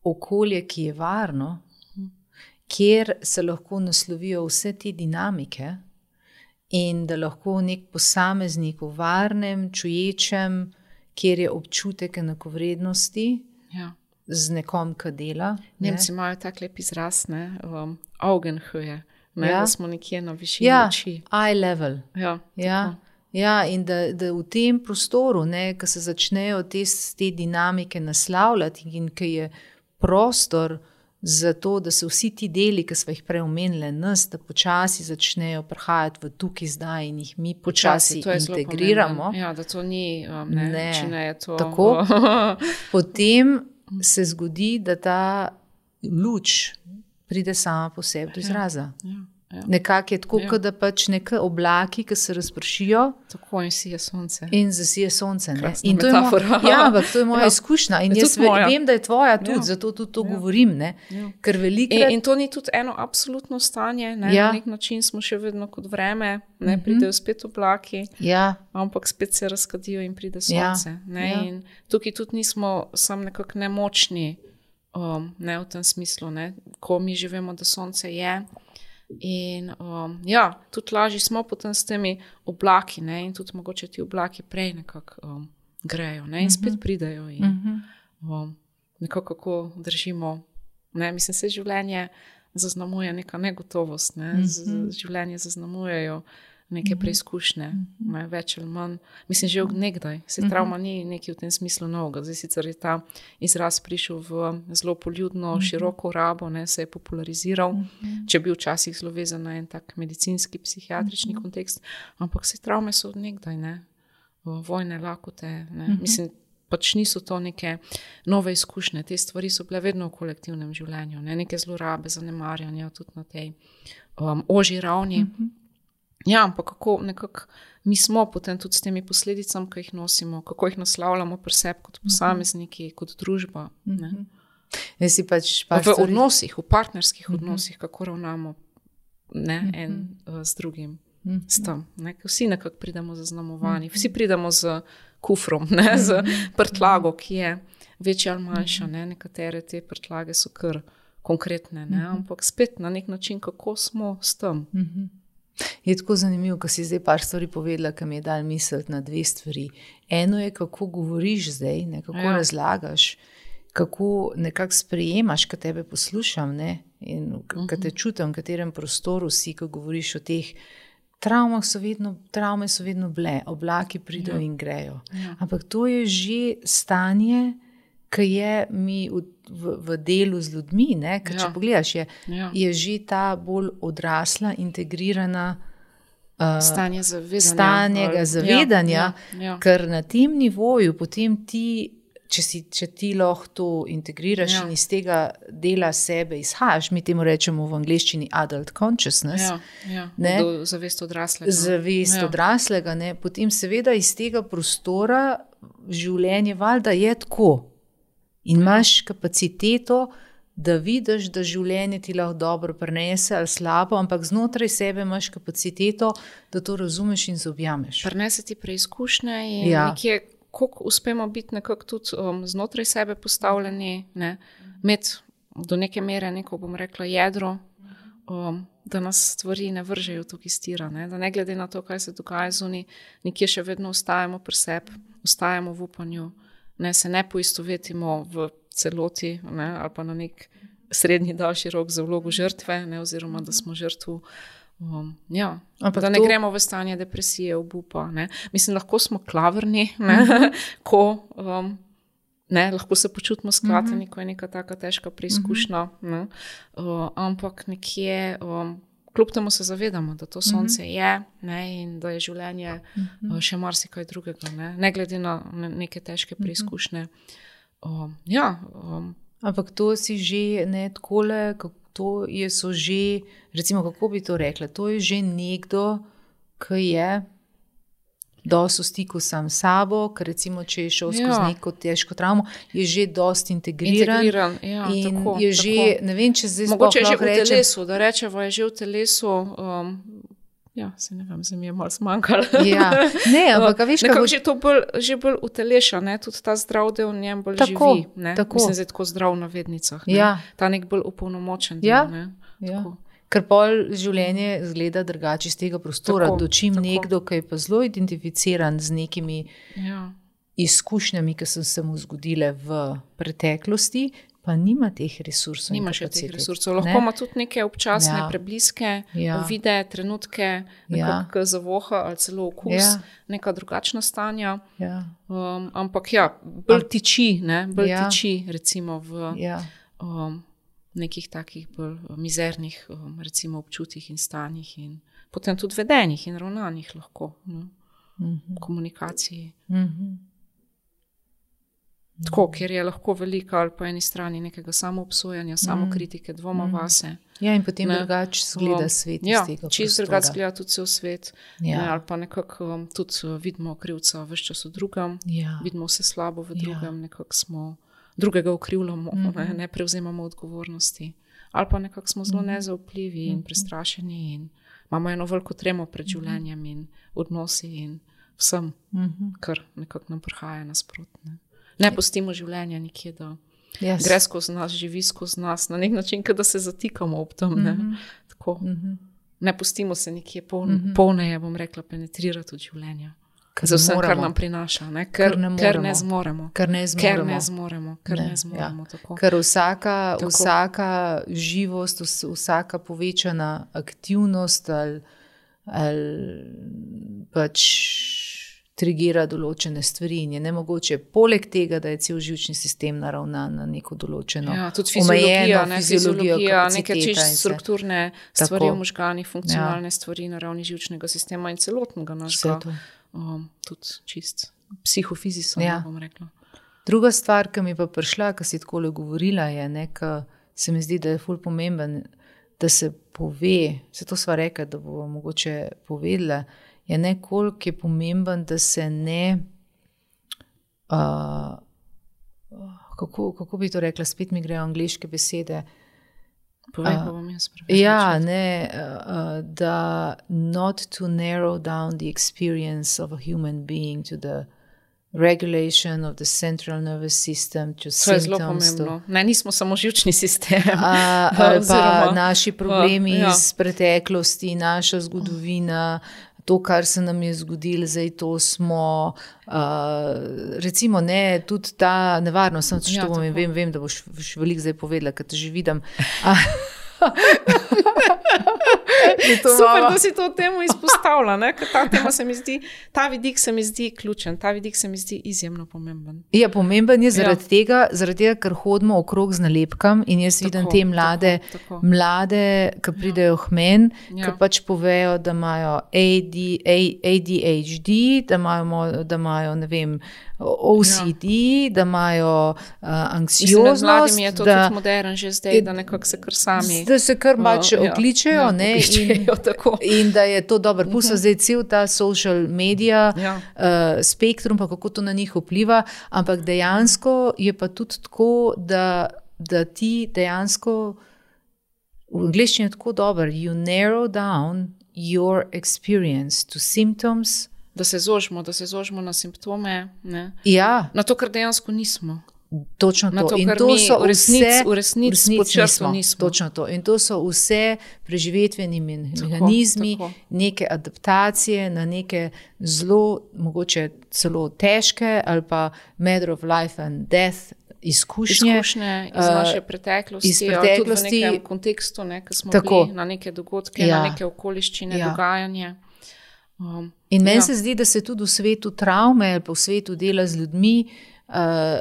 okolje, ki je varno, kjer se lahko naslovijo vse te dinamike in da lahko nek posameznik v varnem, čuječem, kjer je občutek enakovrednosti Ja. z nekom, ki dela. Ne? Nemci imajo tak lep izraz, ne, um, Augenhöhe, ne, Ja. da smo nekje na višini Ja, oči. eye level. Ja, Ja, tako. ja, in da, da v tem prostoru, ko se začnejo te, te dinamike naslavljati in ki je prostor za to, da se vsi ti deli, ki smo jih prej omenili, nas, da počasi začnejo prihajati v tukaj zdaj in jih mi počasi to je zelo integriramo, pomembno. Ja, da to ni, um, ne, Ne. če ne je to. Tako. potem se zgodi, da ta luč pride sama po sebi do izraza. Ja, ja. Nekako je tako, Ja. kot da pač neke oblaki, ki se razpršijo, Tako in si je sonce. in zasije sonce. Ne? Krasna In to je, mo metafora. ja, ampak to je moja Ja. izkušnja in Je jaz tudi ve moja. vem, da je tvoja tudi, Ja. zato tudi to Ja. govorim. Ne? Ja. Ker In, velikrat in to ni tudi eno absolutno stanje, ne? Ja. Na nek način smo še vedno kot vreme, ne? Mhm. Pridejo spet oblaki, ja, ampak spet se razkadijo in pride Ja. sonce. Ne? Ja. In tukaj tudi nismo sam nekako nemočni, um, ne v tem smislu, ne? Ko mi živimo, da sonce je, In um, ja, tudi lažje smo potem s temi oblaki, ne, in tudi mogoče ti oblaki prej nekako um, grejo, ne, in spet pridejo in um, nekako kako držimo, ne, mislim, se življenje zaznamuje neka negotovost, ne, z, življenje zaznamujejo neke preizkušnje, ne, več ali manj. Mislim, že od nekdaj. Se travma ni nekaj v tem smislu novega. Zdaj sicer je ta izraz prišel v zelo poljudno, široko rabo, ne, se je populariziral, če je bil včasih zelo vezan na en tak medicinski, psihiatrični kontekst, ampak se travme so od nekdaj, ne, vojne, lakote, ne. Mislim, pač niso to neke nove izkušnje. Te stvari so bile vedno v kolektivnem življenju, ne, neke zlorabe, zanemarjanja tudi na tej um, ožji ravni. Ja, ampak kako nekako mi smo potem tudi s temi posledicami, ki jih nosimo, kako jih naslavljamo pri sebi kot posamezniki, kot družba. Ne? Si pač v odnosih, v partnerskih odnosih, kako ravnamo, ne, en uh, z drugim. S tem, ne? Vsi nekako pridemo zaznamovani, vsi pridemo z kufrom, ne? Z prtlago, ki je večja ali manjša. Ne? Nekatere te prtlage so kar konkretne, ne? Ampak spet na nek način, kako smo s tem. Je tako zanimivo, ko si zdaj par stvari povedala, ki mi je dal misliti na dve stvari. Eno je, kako govoriš zdaj, ne, kako ja. razlagaš, kako nekako sprejemaš, ko tebe poslušam, ne, in ko te čutim, v katerem prostoru si, ko govoriš o teh travmah, so vedno, travme so vedno bile, oblaki pridejo ja. in grejo. Ja. Ampak to je že stanje, ki je mi v, v, v delu z ljudmi, ne? Ker ja. če pogledaš, je, ja. je že ta bolj odrasla, integrirana uh, stanje zavedanja, stanjega zavedanja, ja, ja, ja. ker na tem nivoju potem ti, če, si, če ti lahko to integriraš ja. in iz tega dela sebe izhajaš, mi temu rečemo v angleščini adult consciousness, ja, ja. Ne? Do, zavest odraslega. Zavest ja. odraslega, ne? Potem seveda iz tega prostora življenje valjda je tako. In imaš kapaciteto, da vidiš, da življenje ti lahko dobro prenese ali slabo, ampak znotraj sebe imaš kapaciteto, da to razumeš in zobjameš. Prenese ti preizkušnje in ja. nekje, koliko uspemo biti nekako tudi um, znotraj sebe postavljeni, ne, imeti do neke mere neko, bom rekla, jedro, um, da nas stvari ne vržejo tukaj stira, ne, da ne glede na to, kaj se dogaja zunaj, nekje še vedno ostajamo pri sebi, ostajamo v upanju, ne, se ne poistovetimo v celoti, ne, ali pa na nek srednji daljši rok za vlogo žrtve, ne, oziroma da smo žrtvu, um, ja, ampak da ne to... gremo v stanje depresije, obupa. Ne. Mislim, lahko smo klavrni, ne, uh-huh. ko um, ne, lahko se počutimo sklateni, uh-huh. ko je neka taka težka preizkušnja, uh-huh. ne, uh, ampak nekje um, kljub temu se zavedamo, da to sonce uh-huh. je, ne, in da je življenje uh-huh. še marsikaj drugega, ne, ne glede na neke težke preizkušnje. Um, ja, um, ampak to si že ne takole, to je so že, recimo, kako bi to rekla, to je že nekdo, ki je dosti v stiku sam s sabo, ker recimo, če je šel skozi ja. neko težko travmo, je že dosti integriran, integriran ja, in tako, je že, tako. Ne vem, če zdaj mogoče je že v rečem, telesu, da rečevo je že v telesu, um, ja, se ne vem, se mi je malo zmanjkalo. Ja, ne, ampak veš, nekako bo... že to bolj, že bolj uteleša, ne, tudi ta zdrav del v njem bolj tako, živi, ne, tako. Mislim, zdaj tako zdrav na vednicah, ne, ja. ta nek bolj upolnomočen del, ja. ne, ja. tako. Ker pol življenje zgleda drugače iz tega prostora, tako, dočim tako. nekdo, ki je pa zelo identificiran z nekimi ja. izkušnjami, ki so se mu zgodile v preteklosti, pa nima teh resursov. Nima še teh resursov. Lahko ima tudi neke občasne ja. prebliske, ja. vide, trenutke, nekako ja. zavoha ali celo okus, ja. neka drugačna stanja. Ja. Um, ampak ja, bolj tiči, ne, bolj ja. tiči recimo v ja. um, nekih takih bolj mizernih um, recimo občutjih in stanjih in potem tudi vedenjih in ravnanjih lahko, ne, mm-hmm. komunikaciji. Mm-hmm. Tako, ker je lahko velika ali po eni strani nekega samoobsojanja, mm. samokritike, dvoma mm. vase. Ja, in potem drugače zgleda svet iz ja, tega prostora. Ja, čisto drugače zgleda tudi cel svet. Ja. Ne, ali pa nekako um, tudi vidimo krivca ves čas v drugem, ja. vidimo vse slabo v drugem, ja. nekako smo drugega ukrivljamo, mm-hmm. ne, ne prevzemamo odgovornosti. Ali pa nekako smo zelo nezaupljivi in prestrašeni in imamo eno veliko tremo pred življenjem in odnosi in vsem, mm-hmm. kar nekako nam prihaja nasprotne. Ne pustimo življenja nikje, da Yes. Gre skozi nas, živi skozi nas, na nek način, da se zatikamo ob tem. Ne, Mhm. Tako, Mhm. ne pustimo se nekje poln, Mhm. polneje, bom rekla, penetrirati od življenja. Ker Za ne vse, kar moremo. nam prinaša, ne? Ker, Ker ne ker ne moremo. zmoremo. Ker ne Ker zmoremo. ne zmoremo, ker Ne, ne zmoremo. ja. Tako. Ker vsaka, Tako. vsaka živost, vs- vsaka povečana aktivnost ali, ali pač trigira določene stvari in je nemogoče, poleg tega, da je cel živčni sistem naravnan na neko določeno Ja, tudi fiziologija, omejeno ne, fiziologijo, fiziologija neke kapaciteta in čisto vse. strukturne stvari Tako. v možganih, funkcionalne ja. stvari na ravni živčnega sistema in celotnega Vse našega, to. um, tudi čist psihofizično, Ja. bom rekla. Druga stvar, ki mi je pa prišla, ko si takole govorila, je, ne, ko se mi zdi, da je ful pomemben, da se pove, se to sva rekla, da bo mogoče povedala, je ne, koliko je pomemben, da se ne, uh, kako, kako bi to rekla, spet mi grejo angleške besede, Povej, A, pa bom jaz preveč. ja, ne, uh, da not to narrow down the experience of a human being to the regulation of the central nervous system, to To je zelo symptoms, to, pomembno. Ne, nismo samo živčni sistem. a, ali pa Oziroma, naši problemi ja. iz preteklosti, naša zgodovina, to, kar se nam je zgodilo, zdaj to smo, uh, recimo ne, tudi ta nevarnost, sem Ja, to bom in tako. vem, vem, da boš, boš veliko zdaj povedala, ker te že vidim. A, to Super, malo- da si to temo izpostavlja, ne? Ker ta tema se mi zdi, ta vidik se mi zdi ključen, ta vidik se mi zdi izjemno pomemben. Ja, pomemben je zaradi, ja. tega, zaradi tega, ker hodimo okrog z nalepkami in jaz vidim Tako, te mlade, tako, tako. mlade, ki pridejo k meni, Ja. ki pač povejo, da imajo A D, A D H D, da imajo, mo- da imajo ne vem, O C D, ja. da imajo uh, Mislim, med anksioznost, mladimi je to da, tudi modern že zdaj, da nekako se kar sami da se kar pač uh, okličejo, ja, ne, in, okličejo, tako. in da je to dobro. Pusto zdaj cel ta social media Ja. uh, spektrum, pa kako to na njih vpliva, ampak dejansko je pa tudi tako, da, da ti dejansko, v angleščini je tako dober, you narrow down your experience to symptoms. Da se zožimo, da se zožimo na simptome, ne? Ja, Na to, kar dejansko nismo. točno Na to. to, In kar to mi so v resnici- vse, v resnici pod črto nismo. Točno to. In to so vse preživetveni mehanizmi, tako. neke adaptacije na neke zelo, mogoče celo težke ali pa matter of life and death izkušnje. Izkušnje iz uh, naše preteklosti, iz ali preteklosti. tudi v nekem kontekstu, ne, ko smo Tako. bili na neke dogodke, Ja. na neke okoliščine, Ja. dogajanje. Um, In meni ja. se zdi, da se tudi v svetu travme ali pa v svetu dela z ljudmi uh,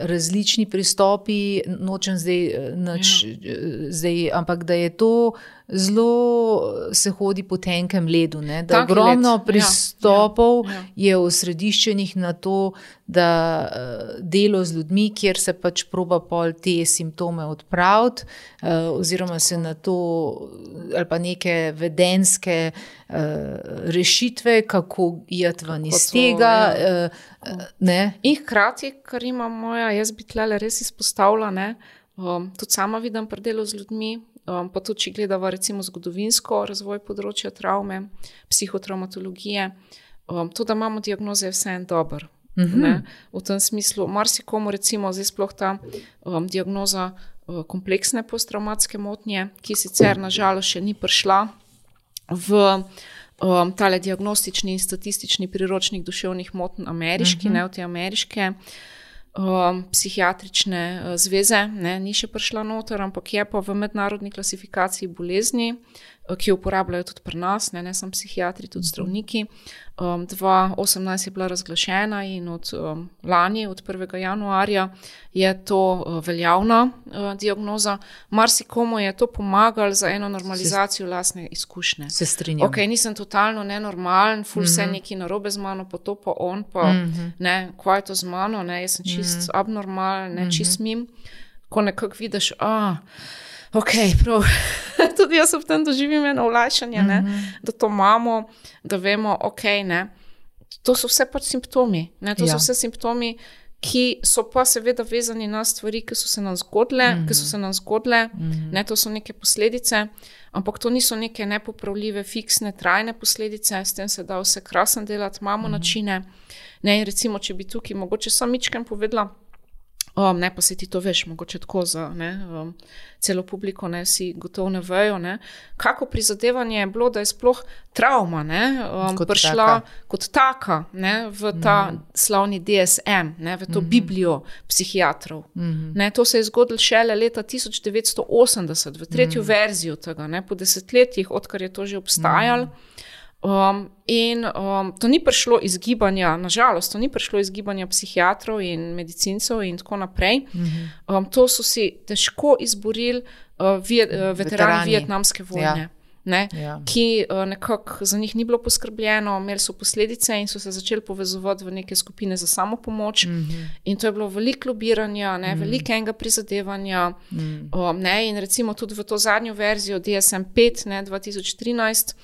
različni pristopi, nočem zdaj, eh, nič, ja. zdaj, ampak da je to zelo, se hodi po tenkem ledu, ne? Da Tanki ogromno led, ja, pristopov ja, ja. je osrediščenih na to, da uh, delo z ljudmi, kjer se pač proba pol te simptome odpraviti, uh, oziroma se na to, ali pa neke vedenske uh, rešitve, kako iti ven iz to, tega. ja. Uh, ne? In hkrati, kar ima moja, jaz bi tlele res izpostavila, ne, um, tudi sama vidim pri delu z ljudmi, um, pa tudi, če gledava recimo zgodovinsko razvoj področja travme, psihotraumatologije, um, to, da imamo diagnoze, je vse en dober. Mhm. Ne, v tem smislu, marsikomu recimo zdaj sploh ta um, diagnoza uh, kompleksne posttraumatske motnje, ki sicer nažalost še ni prišla v um, tale diagnostični in statistični priročnik duševnih motenj ameriški, uh-huh. ne v te ameriške um, psihiatrične uh, zveze, ne, ni še prišla noter, ampak je pa v mednarodni klasifikaciji bolezni, uh, ki jo uporabljajo tudi pri nas, ne, ne samo psihiatri, tudi zdravniki. Um, dva tisoč osemnajst je bila razglašena in od um, lani, od prvega januarja, je to uh, veljavna uh, diagnoza. Marsikomu je to pomagalo za eno normalizacijo lastne izkušnje. Se strinjam. Ok, nisem totalno nenormalen, ful mm -hmm. vse nekaj narobe z mano, pa to pa on, pa mm -hmm. ne, kaj je to z mano, ne, jaz sem čist mm -hmm. abnormalen, ne, mm -hmm. čist mim. Ko nekako vidiš, a, ok, prav, tudi jaz v tem doživim eno olajšanje, ne, mm -hmm. da to imamo, da vemo, ok, ne, to so vse pač simptomi, ne, to ja. so vse simptomi, ki so pa seveda vezani na stvari, ki so se nam zgodile, mm -hmm. ki so se nam zgodile, mm -hmm. ne, to so neke posledice, ampak to niso neke nepopravljive, fiksne, trajne posledice, s tem se da vse krasen delati, imamo mm -hmm. načine, ne, in recimo, če bi tukaj mogoče sam mičkem povedala, Um, ne, pa se ti to veš, mogoče tako za ne, um, celo publiko, ne, vsi gotovo ne vejo, ne. Kako prizadevanje je bilo, da je sploh travma, ne, um, kot prišla taka. kot taka, ne, v ta mm. slavni D S M, ne, v to mm. biblijo psihiatrov. Mm. Ne, to se je zgodilo šele leta tisoč devetsto osemdeset, v tretjo mm. verzijo tega, ne, po desetletjih, odkar je to že obstajalo. Mm. Um, in um, to ni prišlo iz gibanja, nažalost, to ni prišlo iz gibanja psihiatrov in medicincev in tako naprej. Mm-hmm. Um, to so si težko izborili uh, viet, uh, veterani, veterani vietnamske vojne, ja. Ne, ja. ki uh, nekako za njih ni bilo poskrbljeno, imeli so posledice in so se začeli povezovati v neke skupine za samopomoč. Mm-hmm. In to je bilo veliko lobiranja, ne, mm. velikega prizadevanja. Mm. Um, ne, in recimo tudi v to zadnjo verzijo D S M pet, ne, dva tisoč trinajst,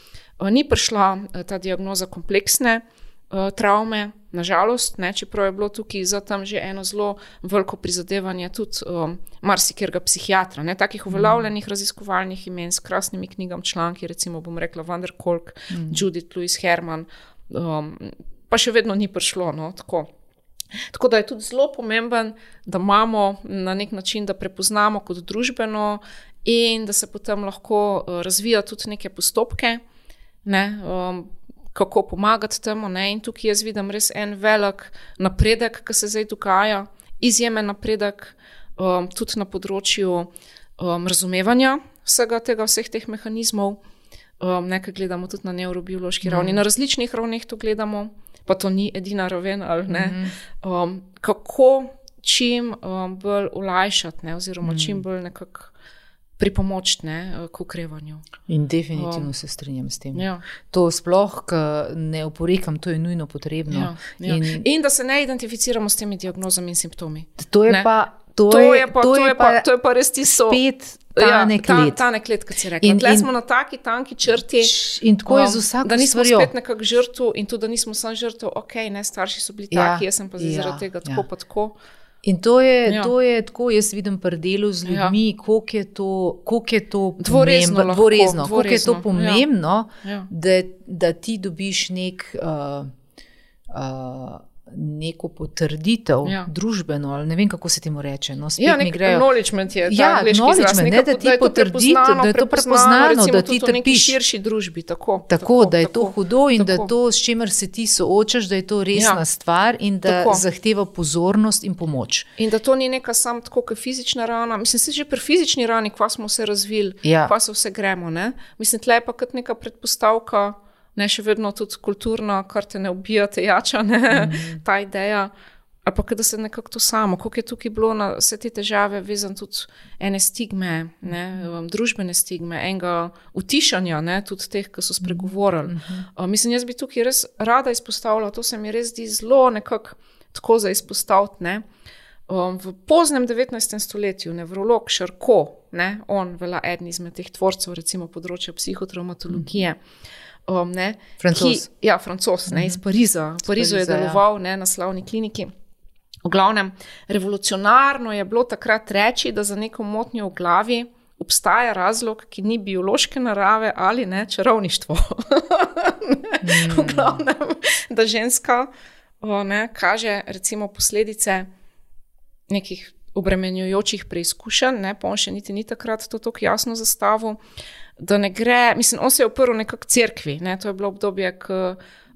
ni prišla ta diagnoza kompleksne uh, travme, nažalost, ne, čeprav je bilo tukaj za tam že eno zelo veliko prizadevanje tudi um, marsikjerga psihiatra, ne, takih uveljavljenih mm. raziskovalnih imen s krasnimi knjigam, članki, recimo bom rekla Van der Kolk, mm. Judith Louise Herman, um, pa še vedno ni prišlo, no, tako. Tako da je tudi zelo pomemben, da imamo na nek način, da prepoznamo kot družbeno in da se potem lahko uh, razvija tudi neke postopke, ne, um, kako pomagati temu, ne, in tukaj jaz vidim res en velik napredek, ki se zdaj dogaja, izjemen napredek, um, tudi na področju um, razumevanja vsega tega, vseh teh mehanizmov, um, nekaj gledamo tudi na nevrobiološki mm. ravni, na različnih ravneh to gledamo, pa to ni edina raven, ali ne, mm. um, kako čim um, bolj olajšati, ne, oziroma mm. čim bolj nekako pripomoč, ne, k okrevanju. In definitivno um, se strinjam s tem. Ja. To sploh, ko ne oporekam, to je nujno potrebno. Ja, ja. In, in, in da se ne identificiramo s temi diagnozami in simptomi. To je ne? pa To, to, je, je pa, to, to, je je pa, pa to je pa res tisto. Spet tanek ja, led. Ta, tanek led, kot si rekla. In, Tle in, smo na taki tanki črti. In tako je z vsako Da nismo stvarjo. spet nekak žrtv in tudi, da nismo sam žrtv, ok, ne, starši so bili Ja, taki, jaz sem pa zdaj ja, zaradi tega tako ja. pa tako. In to je, Ja. to je tako, jaz vidim pri delu z ljudmi, ja. koliko je to, koliko je to Dvorezno pomembno, lahko, dvorezno, koliko je to dvorezno, pomembno, ja. da, da ti dobiš nek, uh, uh, neko potrditev, Ja. družbeno, ali ne vem, kako se temu reče. No, spet Ja, mi nek grejo. acknowledgement je ta Ja, angleški acknowledgement, izraz, ne, neka- da ti je to potrditev, prepoznano, da je to prepoznano, recimo da ti tudi v neki trpiš. širši družbi, tako. Tako, da je to tako, hudo in da tako. to, s čimer se ti soočaš, da je to resna Ja. stvar in da Tako. zahteva pozornost in pomoč. In da to ni neka sam tako, kot fizična rana. Mislim, se že pri fizični rani, kva smo se razvili, Ja. kva se vse gremo, ne? Mislim, tle je pa kot neka predpostavka, ne, še vedno tudi kulturna, kar te ne ubija, te jača, ne, mm. ta ideja. Ali pa, da se nekako to samo, koliko je tukaj bilo na vse te težave vezan tudi ene stigme, ne, um, družbene stigme, enega utišanja, ne, tudi teh, ki so spregovorili. Uh, mislim, jaz bi tukaj res rada izpostavila, to se mi res zdi zelo nekako tako za izpostaviti, ne. Um, v poznem devetnajstem stoletju nevrolog Charcot, ne, on velja eden izmed teh tvorcev, recimo področja psihotraumatologije, um, ne, Francoz. ki, ja, Francoz, ne, iz Pariza. V Parizu je Pariza, ja. deloval, ne, na slavni kliniki. V glavnem, revolucionarno je bilo takrat reči, da za neko motnjo v glavi obstaja razlog, ki ni biološke narave ali ne čarovništvo. mm. V glavnem, da ženska o, ne, kaže recimo posledice nekih obremenjujočih preizkušenj, ne, pa on še niti ni takrat to tako jasno zastavil, da ne gre, mislim, on se je oprl nekako cerkvi, ne, to je bilo obdobje, ko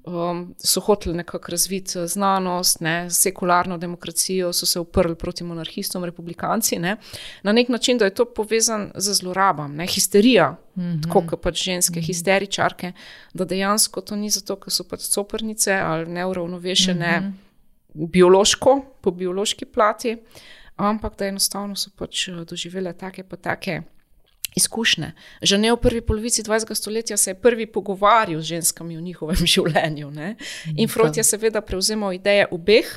Um, so hoteli nekako razviti znanost, ne, sekularno demokracijo, so se uprli proti monarhistom, republikanci, ne, na nek način, da je to povezan z zlorabam, ne, histerija, mm-hmm. tako kot pač ženske, mm-hmm. histeričarke, da dejansko to ni zato, ker so pač coprnice ali neuravnovešene mm-hmm. biološko, po biološki plati, ampak da enostavno so pač doživele take pa take izkušnje. Že ne v prvi polovici dvajsetega stoletja se je prvi pogovarjal z ženskami v njihovem življenju. Ne? In Freud je seveda prevzemal ideje obeh,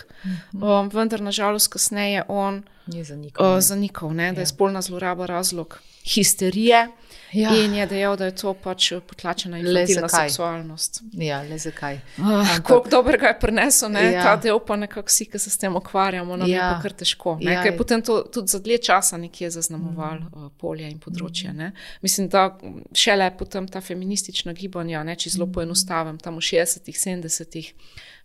um, vendar nažalost kasneje on je zanikal, uh, zanikal ne, da ja. je spolna zloraba razlog histerije. Ja. In je dejal, da je to pač potlačena infantilna seksualnost. Ja, le zakaj. Uh, koliko dobrega je prinesel, ne? Ja. Ta del pa nekako vsi, ki se s tem ukvarjamo, nam ja. je pa kar težko. Ne? Ja. Ker je potem to tudi za dlje časa nekje zaznamoval mm. uh, polje in področje. Ne? Mislim, da šele potem ta feministična gibanja, ne, če zelo poenostavim, tam v šestdesetih, sedemdesetih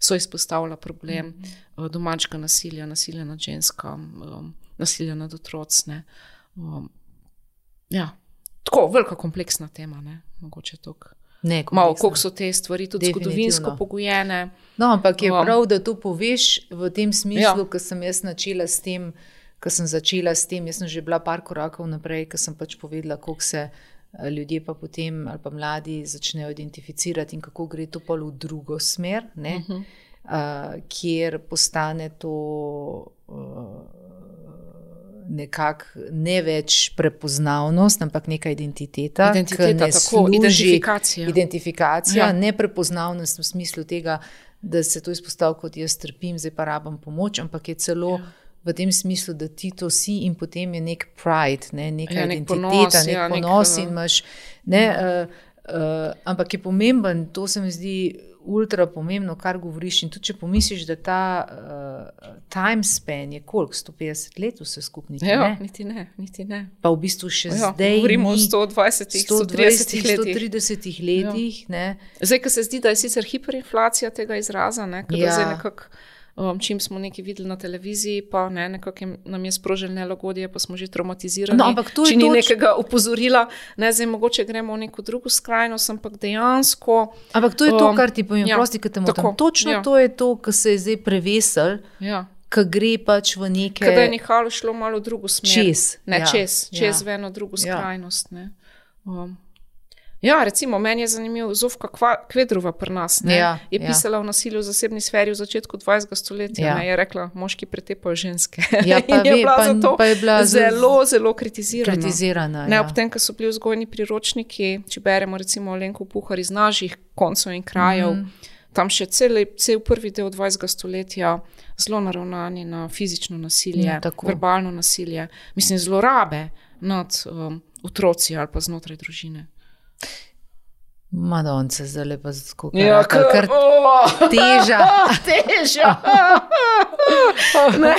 so izpostavila problem mm. uh, domačega nasilja, nasilja nad ženskam, um, nasilja nad otroci. Um, ja. Tako, velika kompleksna tema, ne, mogoče tok. Ne, malo, koliko so te stvari tudi zgodovinsko pogojene. No, ampak je prav, da to poveš v tem smislu, ja. ko sem jaz načela s tem, ko sem začela s tem, jaz sem že bila par korakov naprej, ko sem pač povedala, koliko se ljudje pa potem, ali pa mladi začnejo identificirati in kako gre to pa v drugo smer, ne, uh-huh. uh, kjer postane to... Uh, nekako ne več prepoznavnost, ampak neka identiteta, identiteta tako, služi, identifikacija, identifikacija ja. ne prepoznavnost v smislu tega, da se to izpostavlja kot jaz trpim, zdaj pa rabam pomoč, ampak je celo ja. v tem smislu, da ti to si in potem je nek pride, ne, neka ja, nek identiteta, ponos, nek ja, ponos nek, in imaš, ne, ja. uh, uh, ampak je pomemben, to se mi zdi ultra pomembno, kar govoriš in tudi če pomisliš, da ta uh, time span je koliko, sto petdeset let vse skupaj, niti ja, ne? Niti ne, niti ne. Pa v bistvu še ja, zdaj govorimo o sto dvajsetih, sto tridesetih letih. sto tridesetih letih, ja. ne. Zdaj, ko se zdi, da je sicer hiperinflacija tega izraza, ne, kada ja. zdaj nekako Um, čim smo nekaj videli na televiziji, pa ne, nekako nam je sprožil nelagodje, pa smo že traumatizirani. No, ampak to je če ni toč... nekega upozorila, ne, zdaj mogoče gremo v neko drugo skrajnost, ampak dejansko... Ampak to je to, kar ti povem, ja, prosti, kad te motam. Točno ja. to je to, kar se je zdaj prevesel, ja. kar gre pač v neke... Kada je nehalo šlo malo v drugo smer. Čez. Ne, ja. čez, čez ja. v eno drugo skrajnost, ne. Um. Ja, recimo, meni je zanimiv Zofka Kvedrova pri nas, ne, ja, je pisala ja. o nasilju v zasebni sferi v začetku dvajsetega stoletja, ja. ne, je rekla, moški pretepajo ženske. Ja, pa in je ve, bila pa, zato pa je bila zelo, zelo kritizirana. kritizirana ne, ja. ob tem, ko so bili vzgojni priročniki, če beremo recimo Alenko Puhar iz naših koncev in krajev, mm. tam še cel, cel prvi del dvajsetega stoletja zelo naravnani na fizično nasilje, ja, verbalno nasilje, mislim, zlorabe nad um, otroci ali pa znotraj družine. Madonce, zdaj lepa zato, ja, kar, kar oh, teža. Teža. ne,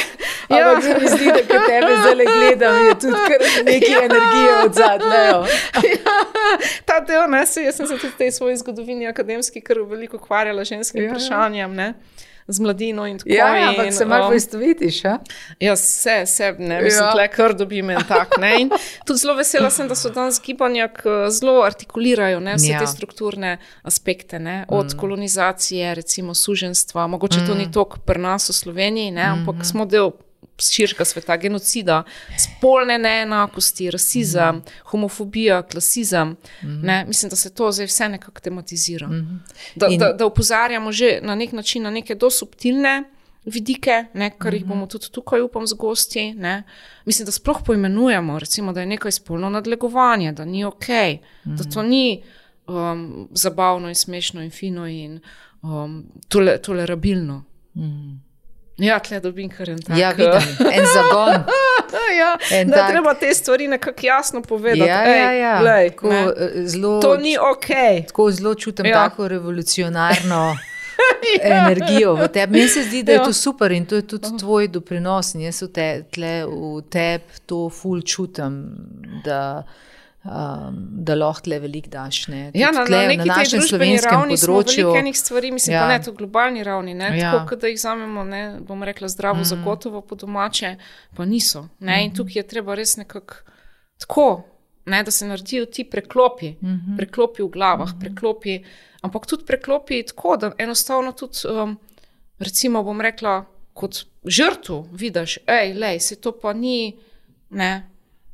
ja. Ampak se mi zdi, da kad tebe zdaj gledam, je tudi kar nekaj ja. energije od zadnjejo. ja. Ta del, ne, se, jaz sem se tudi v tej svoji zgodovini akademski kar veliko ukvarjala ženskim ja. vprašanjem, ne. Z mladino in tako. Ja, ampak se malo poistovitiš, a? Ja, vse, vse, ne, mislim, ja. tle kar dobim en tak, ne, in tudi zelo vesela sem, da so danes gibanja zelo artikulirajo, ne, vse ja. te strukturne aspekte, ne, od mm. kolonizacije, recimo suženstva, mogoče mm. to ni toliko pri nas v Sloveniji, ne, ampak mm. smo del širšega sveta, genocida, spolne neenakosti, rasizem, mm. homofobija, klasizem, mm. ne, mislim, da se to zdaj vse nekako tematizira. Mm. Da, In... da, da upozarjamo že na nek način na neke dosubtilne vidike, ne, kar mm. jih bomo tudi tukaj upam z gosti, ne. Mislim, da sploh poimenujemo, recimo, da je nekaj spolno nadlegovanje, da ni okej, okay, mm. da to ni um, zabavno in smešno in fino in um, tole, tolerabilno. Mm. Ja, tle dobim kar en tak. Ja, vidim, en zagon. ja, en da tak. Treba te stvari nekako jasno povedati. Ja, Ej, ja, ja. Lej, tako, zelo, to ni okej. Okay. Tako zelo čutim ja. tako revolucionarno ja. energijo v tebi. Meni se zdi, da je ja. to super in to je tudi uh-huh. tvoj doprinos. In jaz v, te, tle, v tebi to ful čutim, da... Um, da lahko tle veliko daš. Ne. Ja, na, tle, na neki na tej družbeni ravni področju, smo veliko enih stvari, mislim ja. pa ne to globalni ravni, ne, ja. tako, kada jih vzamemo, ne, bom rekla zdravo mm. zagotovo po domače, pa niso. Ne, mm-hmm. In tukaj je treba res nekako tako, ne, da se naredijo ti preklopi, mm-hmm. preklopi v glavah, mm-hmm. preklopi, ampak tudi preklopi tako, da enostavno tudi, um, recimo bom rekla, kot žrtvu vidiš, ej, lej, se to pa ni, ne,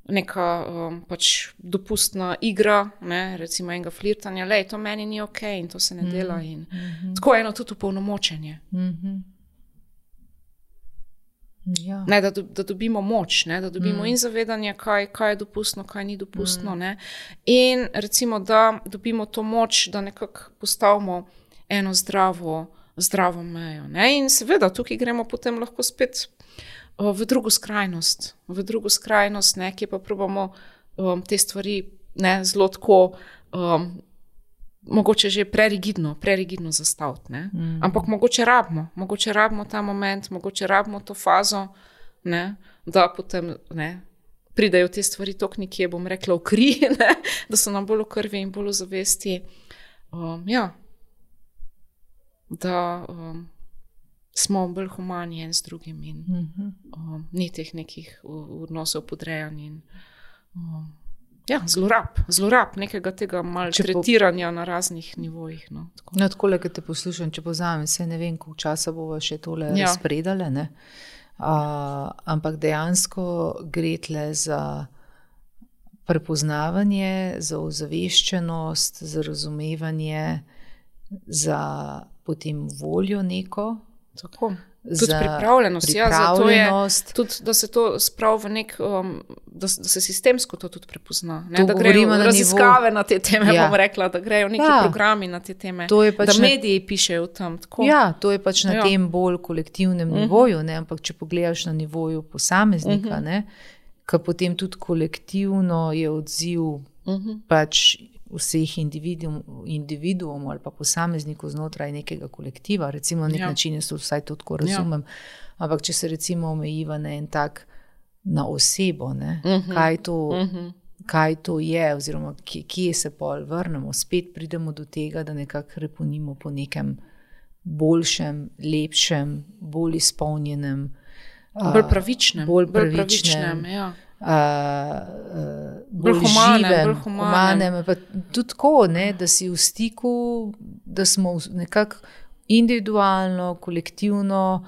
neka um, pač dopustna igra, ne, recimo enega flirtanja, lej, to meni ni okej okay in to se ne dela in mm-hmm. tako eno tudi upolnomočenje. Mm-hmm. Ja. Ne, da, do, da dobimo moč, ne, da dobimo mm. in zavedanje, kaj, kaj je dopustno, kaj ni dopustno, mm. ne, in recimo, da dobimo to moč, da nekako postavimo eno zdravo, zdravo mejo, ne, in seveda tukaj gremo potem lahko spet v drugo skrajnost, v drugo skrajnost, ne, ki pa probamo um, te stvari ne, zelo tako, um, mogoče že prerigidno, prerigidno zastaviti. Ne. Mm. Ampak mogoče rabimo, mogoče rabimo ta moment, mogoče rabimo to fazo, ne, da potem ne, pridejo te stvari tok nekje, bom rekla, v kri, ne, da so nam bolj v krvi in bolj v zavesti. Um, ja, da um, smo bolj humani en z drugim in mm-hmm. um, ni teh nekih odnosov podrejanj in um, ja, zlorab, zlorab nekega tega maltretiranja po... na raznih nivojih. No, tako. No, takole, kad te poslušam, če povzamem, se ne vem, koliko časa bova še tole ja. razpredale, ne? Uh, ampak dejansko gre tle za prepoznavanje, za ozaveščenost, za razumevanje, za potem voljo neko. Tako. Tudi pripravljenost, pripravljenost. Ja, tudi, da se to spravi v nek, um, da, da se sistemsko to tudi prepozna. Ne? To da grejo na raziskave nivo... na te teme, ja. bom rekla, da grejo neki ja. programi na te teme, pač da mediji na... pišejo tam. Tako. Ja, to je pač na ja. tem bolj kolektivnem uh-huh. nivoju, ne? Ampak če pogledaš na nivoju posameznika, uh-huh. ne? Ka potem tudi kolektivno je odziv uh-huh. pač vseh individuum, individuumov ali pa posameznikov znotraj nekega kolektiva, recimo na nek ja. način jaz to vsaj to tako razumem, ja. ampak če se recimo omejiva na en tak, na osebo, ne, uh-huh. kaj, to, uh-huh. kaj to je, oziroma kje, kje se pol vrnemo, spet pridemo do tega, da nekako reponimo po nekem boljšem, lepšem, bolj izpolnjenem, bolj pravičnem, bolj pravičnem, bolj pravičnem ja. Uh, uh, bolj, bolj humanem, živem, bolj humanem. humanem, pa tudi tako, ne, da si v stiku, da smo nekako individualno, kolektivno,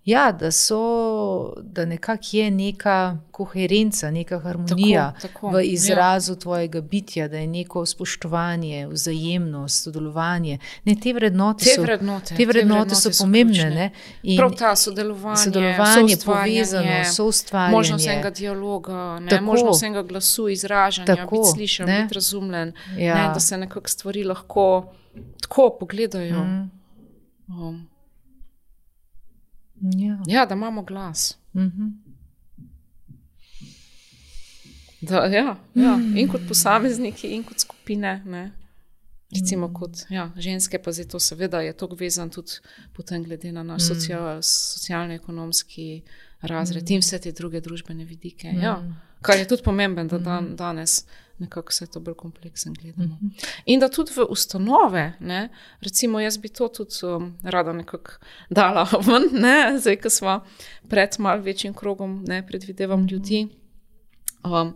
ja, da so, da nekako je neka koherenca, neka harmonija tako, tako, v izrazu ja. tvojega bitja, da je neko spoštovanje, vzajemnost, sodelovanje. Ne, te vrednote, te so, vrednote, te vrednote, te vrednote so, so pomembne. Ne? In prav ta sodelovanje, sodelovanje povezano, soustvarjanje. Možnost enega dialoga, ne? Možnost enega glasu, izražanja, tako, biti slišan, ne? Biti razumljen, ja. ne? Da se nekako stvari lahko tako pogledajo. Mm. Um. Ja. ja, da imamo glas. Mm-hmm. Da, ja, ja. In kot posamezniki, in kot skupine. Ne? Recimo kot ja, ženske, pa zdaj to seveda je to vezan tudi potem glede na naš mm. social, socialno-ekonomski razred mm. in vse te druge družbene vidike. Mm. Ja. Kar je tudi pomemben, da dan, danes nekako vse to bolj kompleksen gledamo. Mm-hmm. In da tudi v ustanove, ne, recimo jaz bi to tudi um, rada nekako dala ven, ne, zdaj, ko smo pred malo večjim krogom, ne, predvidevam mm-hmm. ljudi, um,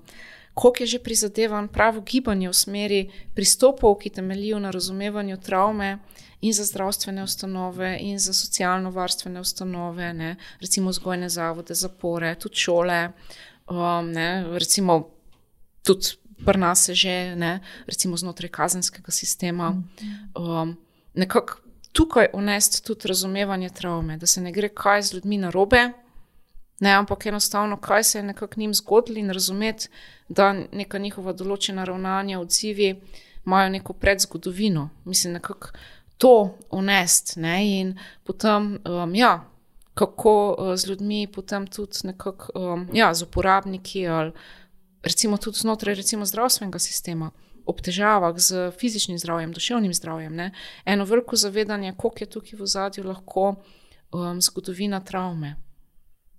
koliko je že prizadevan pravo gibanje v smeri pristopov, ki temeljijo na razumevanju travme in za zdravstvene ustanove in za socialno-varstvene ustanove, ne, recimo vzgojne zavode, zapore, tudi šole, um, ne, recimo tudi pri nas je že, ne, recimo znotraj kazenskega sistema, um, nekako tukaj unesti tudi razumevanje travme, da se ne gre kaj z ljudmi narobe, ne, ampak enostavno, kaj se je nekako njim zgodilo in razumeti, da neka njihova določena ravnanja, odzivi imajo neko predzgodovino. Mislim, nekako to unesti, ne, in potem, um, ja, kako uh, z ljudmi potem tudi nekako, um, ja, z uporabniki ali recimo tudi znotraj recimo zdravstvenega sistema, ob težavah z fizičnim zdravjem, duševnim zdravjem, ne, eno veliko zavedanje, koliko je tukaj v ozadju lahko um, zgodovina travme.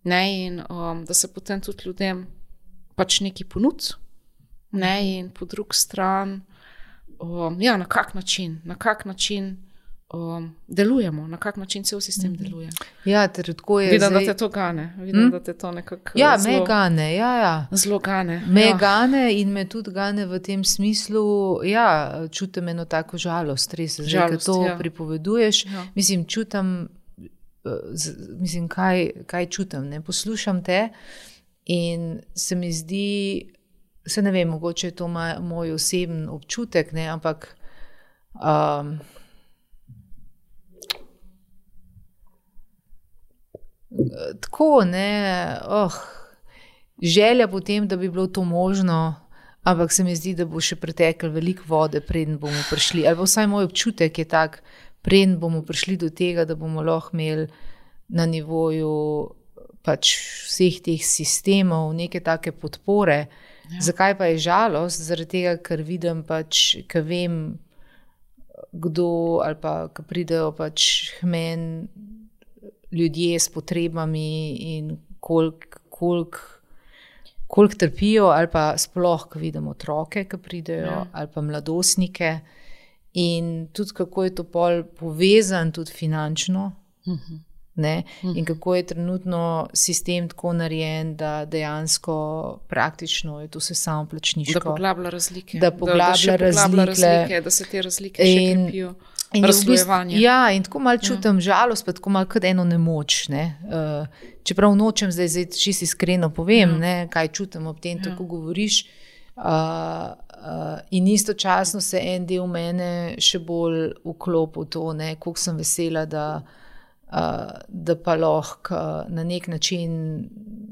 Ne, in um, da se potem tudi ljudem pač neki ponudi, ne, in po drugi strani, um, ja, na kak način, na kak način um, delujemo, na kak način cel sistem deluje. Ja, ter tako je Vidim, zdaj... da te to gane. Vidim, hm? da te to nekako ja, zelo... me gane, ja, ja. Zelo gane. Me ja. gane in me tudi gane v tem smislu, ja, čutim eno tako žalost, res, zdaj, žalost, ko to ja. pripoveduješ, ja. mislim, čutim, z, mislim, kaj, kaj čutim, ne, poslušam te in se mi zdi, se ne vem, mogoče je to moj, moj oseben občutek, ne, ampak um, tako, ne, oh, želja potem, da bi bilo to možno, ampak se mi zdi, da bo še preteklo veliko vode, preden bomo prišli, ali pa vsaj moj občutek je tak, preden bomo prišli do tega, da bomo lahko imeli na nivoju pač vseh teh sistemov, neke take podpore. Ja. Zakaj pa je žalost? Zaradi tega, ker vidim pač, ker vem, kdo ali pa, ker pridejo pač k meni ljudje s potrebami in koliko kolik, kolik trpijo, ali pa sploh, ko vidim otroke, ki pridejo, ja. Ali pa mladostnike. In tudi kako je to pol povezan tudi finančno, uh-huh. ne? Uh-huh. In kako je trenutno sistem tako narejen, da dejansko praktično je to vse samo plačniško. Da poglablja razlike. Da poglablja da, da razlike. razlike. Da se te razlike in, še krepijo. In v bistvu, ja, in tako malo čutim ja. žalost, pa tako malo kot eno nemoč. Ne? Uh, čeprav nočem zdaj, zdaj čisto iskreno povem, ja. ne, kaj čutim ob tem, ja. tako govoriš. Uh, uh, in istočasno se en del mene še bolj vklopil to, ne, koliko sem vesela, da, uh, da pa lahko na nek način,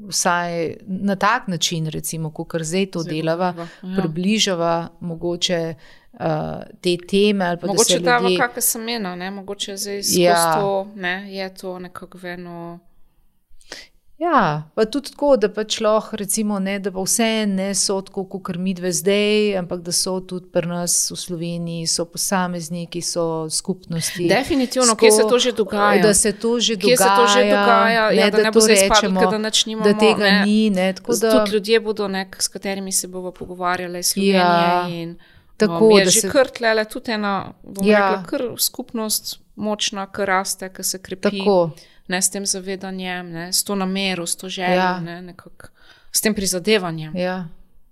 vsaj na tak način, recimo, kakor zdaj to zdaj delava, ja. približava mogoče Uh, te teme. Ali pa mogoče da dava ljudje... kakve semena, ne? Mogoče zdaj skozi ja. to, ne? Je to nekako eno... Ja, pa tudi tako, da pač lahko recimo ne, da pa vse ne so tako, kakor midve zdaj, ampak da so tudi pri nas v Sloveniji, so posamezniki, so skupnosti. Definitivno, kje se to že dogaja. Da se to že kje dogaja. Se to že dogaja, ne, ja, da, da ne bo zdaj spadlo, da nič nimamo. Da tega ne. ni, ne. Tako da... Tudi ljudje bodo nek, s katerimi se bomo pogovarjali Slovenije ja. in... Tako, um, je da že se... kar tlele tudi ena, bom ja. rekla, kar skupnost močna, kar raste, kar se krepi, Tako. ne, s tem zavedanjem, ne, s to namero, s to željo, ja. ne, nekak, s tem prizadevanjem. Ja,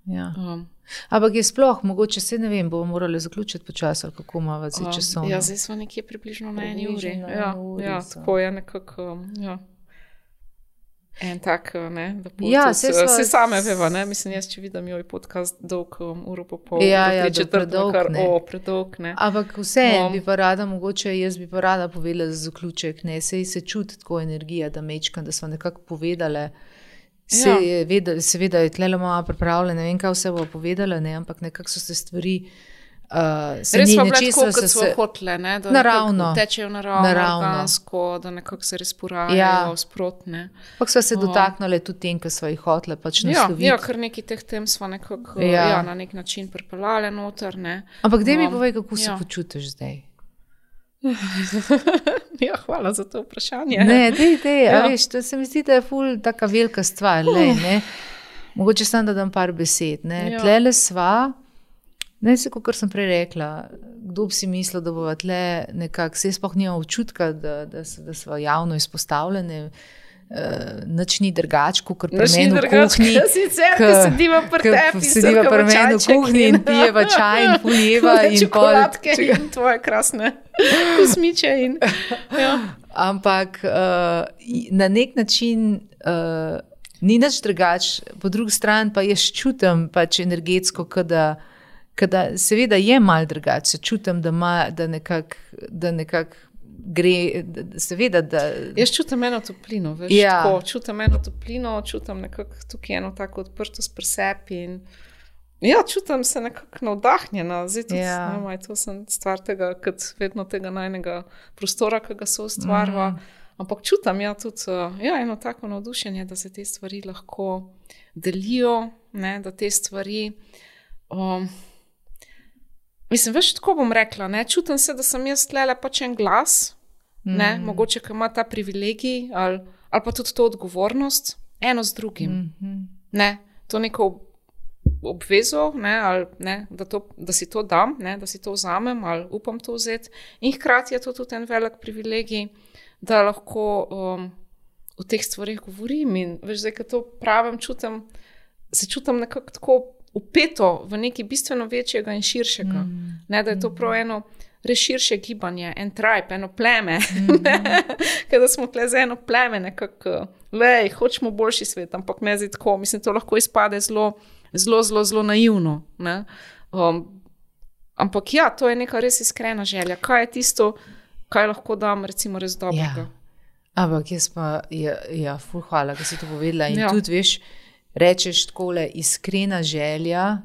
ja. Um, Ampak je sploh, mogoče se ne vem, bomo morali zaključiti počas, ali kako imamo zdaj časovno. Ja, zdaj smo nekje približno na eni uri. Na ja, uri ja, tako je nekako, um, ja. En tak, ne, da bo ja, tudi, sva... se same veva, ne, mislim, jaz, če vidim joj podcast dolg um, uro po pol, ja, ja, ja, predolg, kar, ne. O, predolg, ne. Ampak vse um, bi pa rada, mogoče jaz bi pa rada povedala za zaključek, ne, sej se čuti tako energija, da mečkam, da smo nekako povedale, se, ja. veda, seveda je tlele malo pripravljene, ne vem, kaj vse bo povedala, ne, ampak nekako so se stvari Uh, res pa bile tako, kot so hotele, ne? Da naravno, tečejo naravno, naravno. Organsko, da nekako se res porajajo ja. sprotne. Pak so se um, dotaknile tudi tem, ki so jih hotele pač nasloviti. Ja, ja, kar neki teh tem smo nekako ja. ja, na nek način pripeljali noter. Ne? Ampak daj mi um, povej, kako ja. se počutiš zdaj? Ja, hvala za to vprašanje. Ne, dej, dej, ja. a veš, to se mi zdi, da je ful taka velika stvar, uh. lej, ne? Mogoče sam da dam par besed, ne? Ja. Tlele sva, ne se, kot sem prej rekla, kdo bi si mislil, da bova tle nekako, se sploh nima občutka, da, da, da smo javno izpostavljene, uh, nič ni drugač, kot pri meni v kuhinji. Sicer, ko sediva pri tebi, sediva pri meni v kuhinji in pijeva čaj in puljeva in čokoladke pol... in tvoje krasne kosmiče. In, ja. Ampak uh, na nek način uh, ni nič drugač, po drugi strani pa jaz čutim pač energetsko, kada Kada seveda je malo drugače, se čutim, da, da nekako nekak gre, da, seveda, da... Jaz čutim eno toplino, veš, ja. tako, čutim eno toplino, čutim nekako tukaj eno tako odprtost pri sebi in ja, čutim se nekako navdahnjena, zdaj tudi, ja. ne, maj, to sem stvar tega, kot vedno tega najnega prostora, ki ga so ustvarva, mm. ampak čutim, ja, tudi, ja, eno tako navdušenje, da se te stvari lahko delijo, ne, da te stvari... Um, Mislim, veš, tako bom rekla, ne, čutim se, da sem jaz tlele pač en glas, ne, mm. mogoče, ki ima ta privilegij ali, ali pa tudi to odgovornost, eno z drugim, mm-hmm. ne, to neko obvezo, ne, ali, ne, da, to, da si to dam, ne, da si to vzamem ali upam to vzeti in hkrati je to tudi en velik privilegij, da lahko um, o teh stvarih govorim in veš, zdaj, ko to pravim, čutim, se čutim nekako tako upeto v nekaj bistveno večjega in širšega. Mm. Ne, da je to prav eno res širše gibanje, en tribe, eno pleme. Mm. Kada smo tle za eno pleme, nekako, lej, hočemo boljši svet, ampak ne zdaj tako. Mislim, to lahko izpade zelo, zelo, zelo, zelo naivno. Ne? Um, ampak ja, to je neka res iskrena želja. Kaj je tisto, kaj lahko dam, recimo, res dobrega? Ja. Ampak jaz pa, ja, ja ful hvala, da si to povedala. In ja. tudi, veš, rečeš takole iskrena želja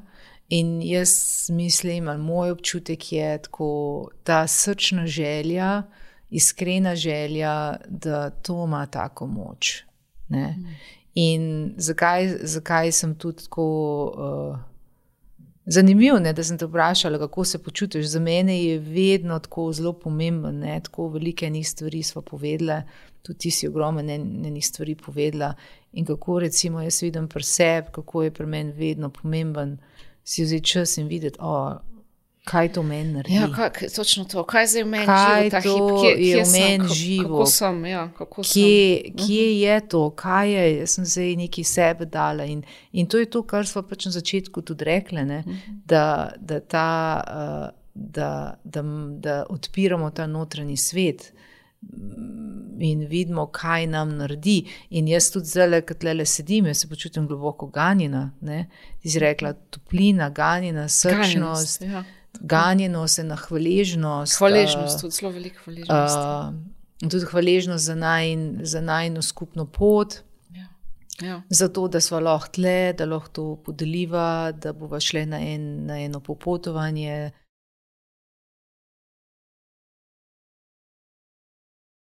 in jaz mislim, ali moj občutek je tako, ta srčna želja, iskrena želja, da to ima tako moč. Ne? In zakaj, zakaj sem tudi tako uh, zanimiv, ne, da sem te vprašala, kako se počutiš. Za mene je vedno tako zelo pomemben, ne, tako velike enih stvari sva povedala, tudi ti si ogromen enih stvari povedala in kako recimo jaz vidim pri sebi, kako je pri meni vedno pomemben si vzeti čas in videti, o, kaj to meni naredi. Ja, kak, točno to, kaj zdaj v meni kaj živo ta hip, to kje, je kje v sem, meni kako, živo, kako sem, ja, kako kje, sem. kje je to, kaj je, jaz sem zdaj nekaj sebe dala in, in to je to, kar smo pač na začetku tudi rekli, ne, da, da, ta, uh, da, da, da odpiramo ta notranji svet in vidimo, kaj nam naredi. In jaz tudi zdaj, ko tlele sedim, jaz se počutim globoko ganjena, ne, ti si rekla toplina, ganjena, srčnost, Ganjenost, ja. ganjenost, ena hvaležnost. Hvaležnost, tudi zelo veliko hvaležnost. Uh, tudi hvaležnost za, najn, za najno skupno pot, Ja. Ja. zato, da sva lahko tle, da lahko to podeliva, da bova šle na, en, na eno popotovanje.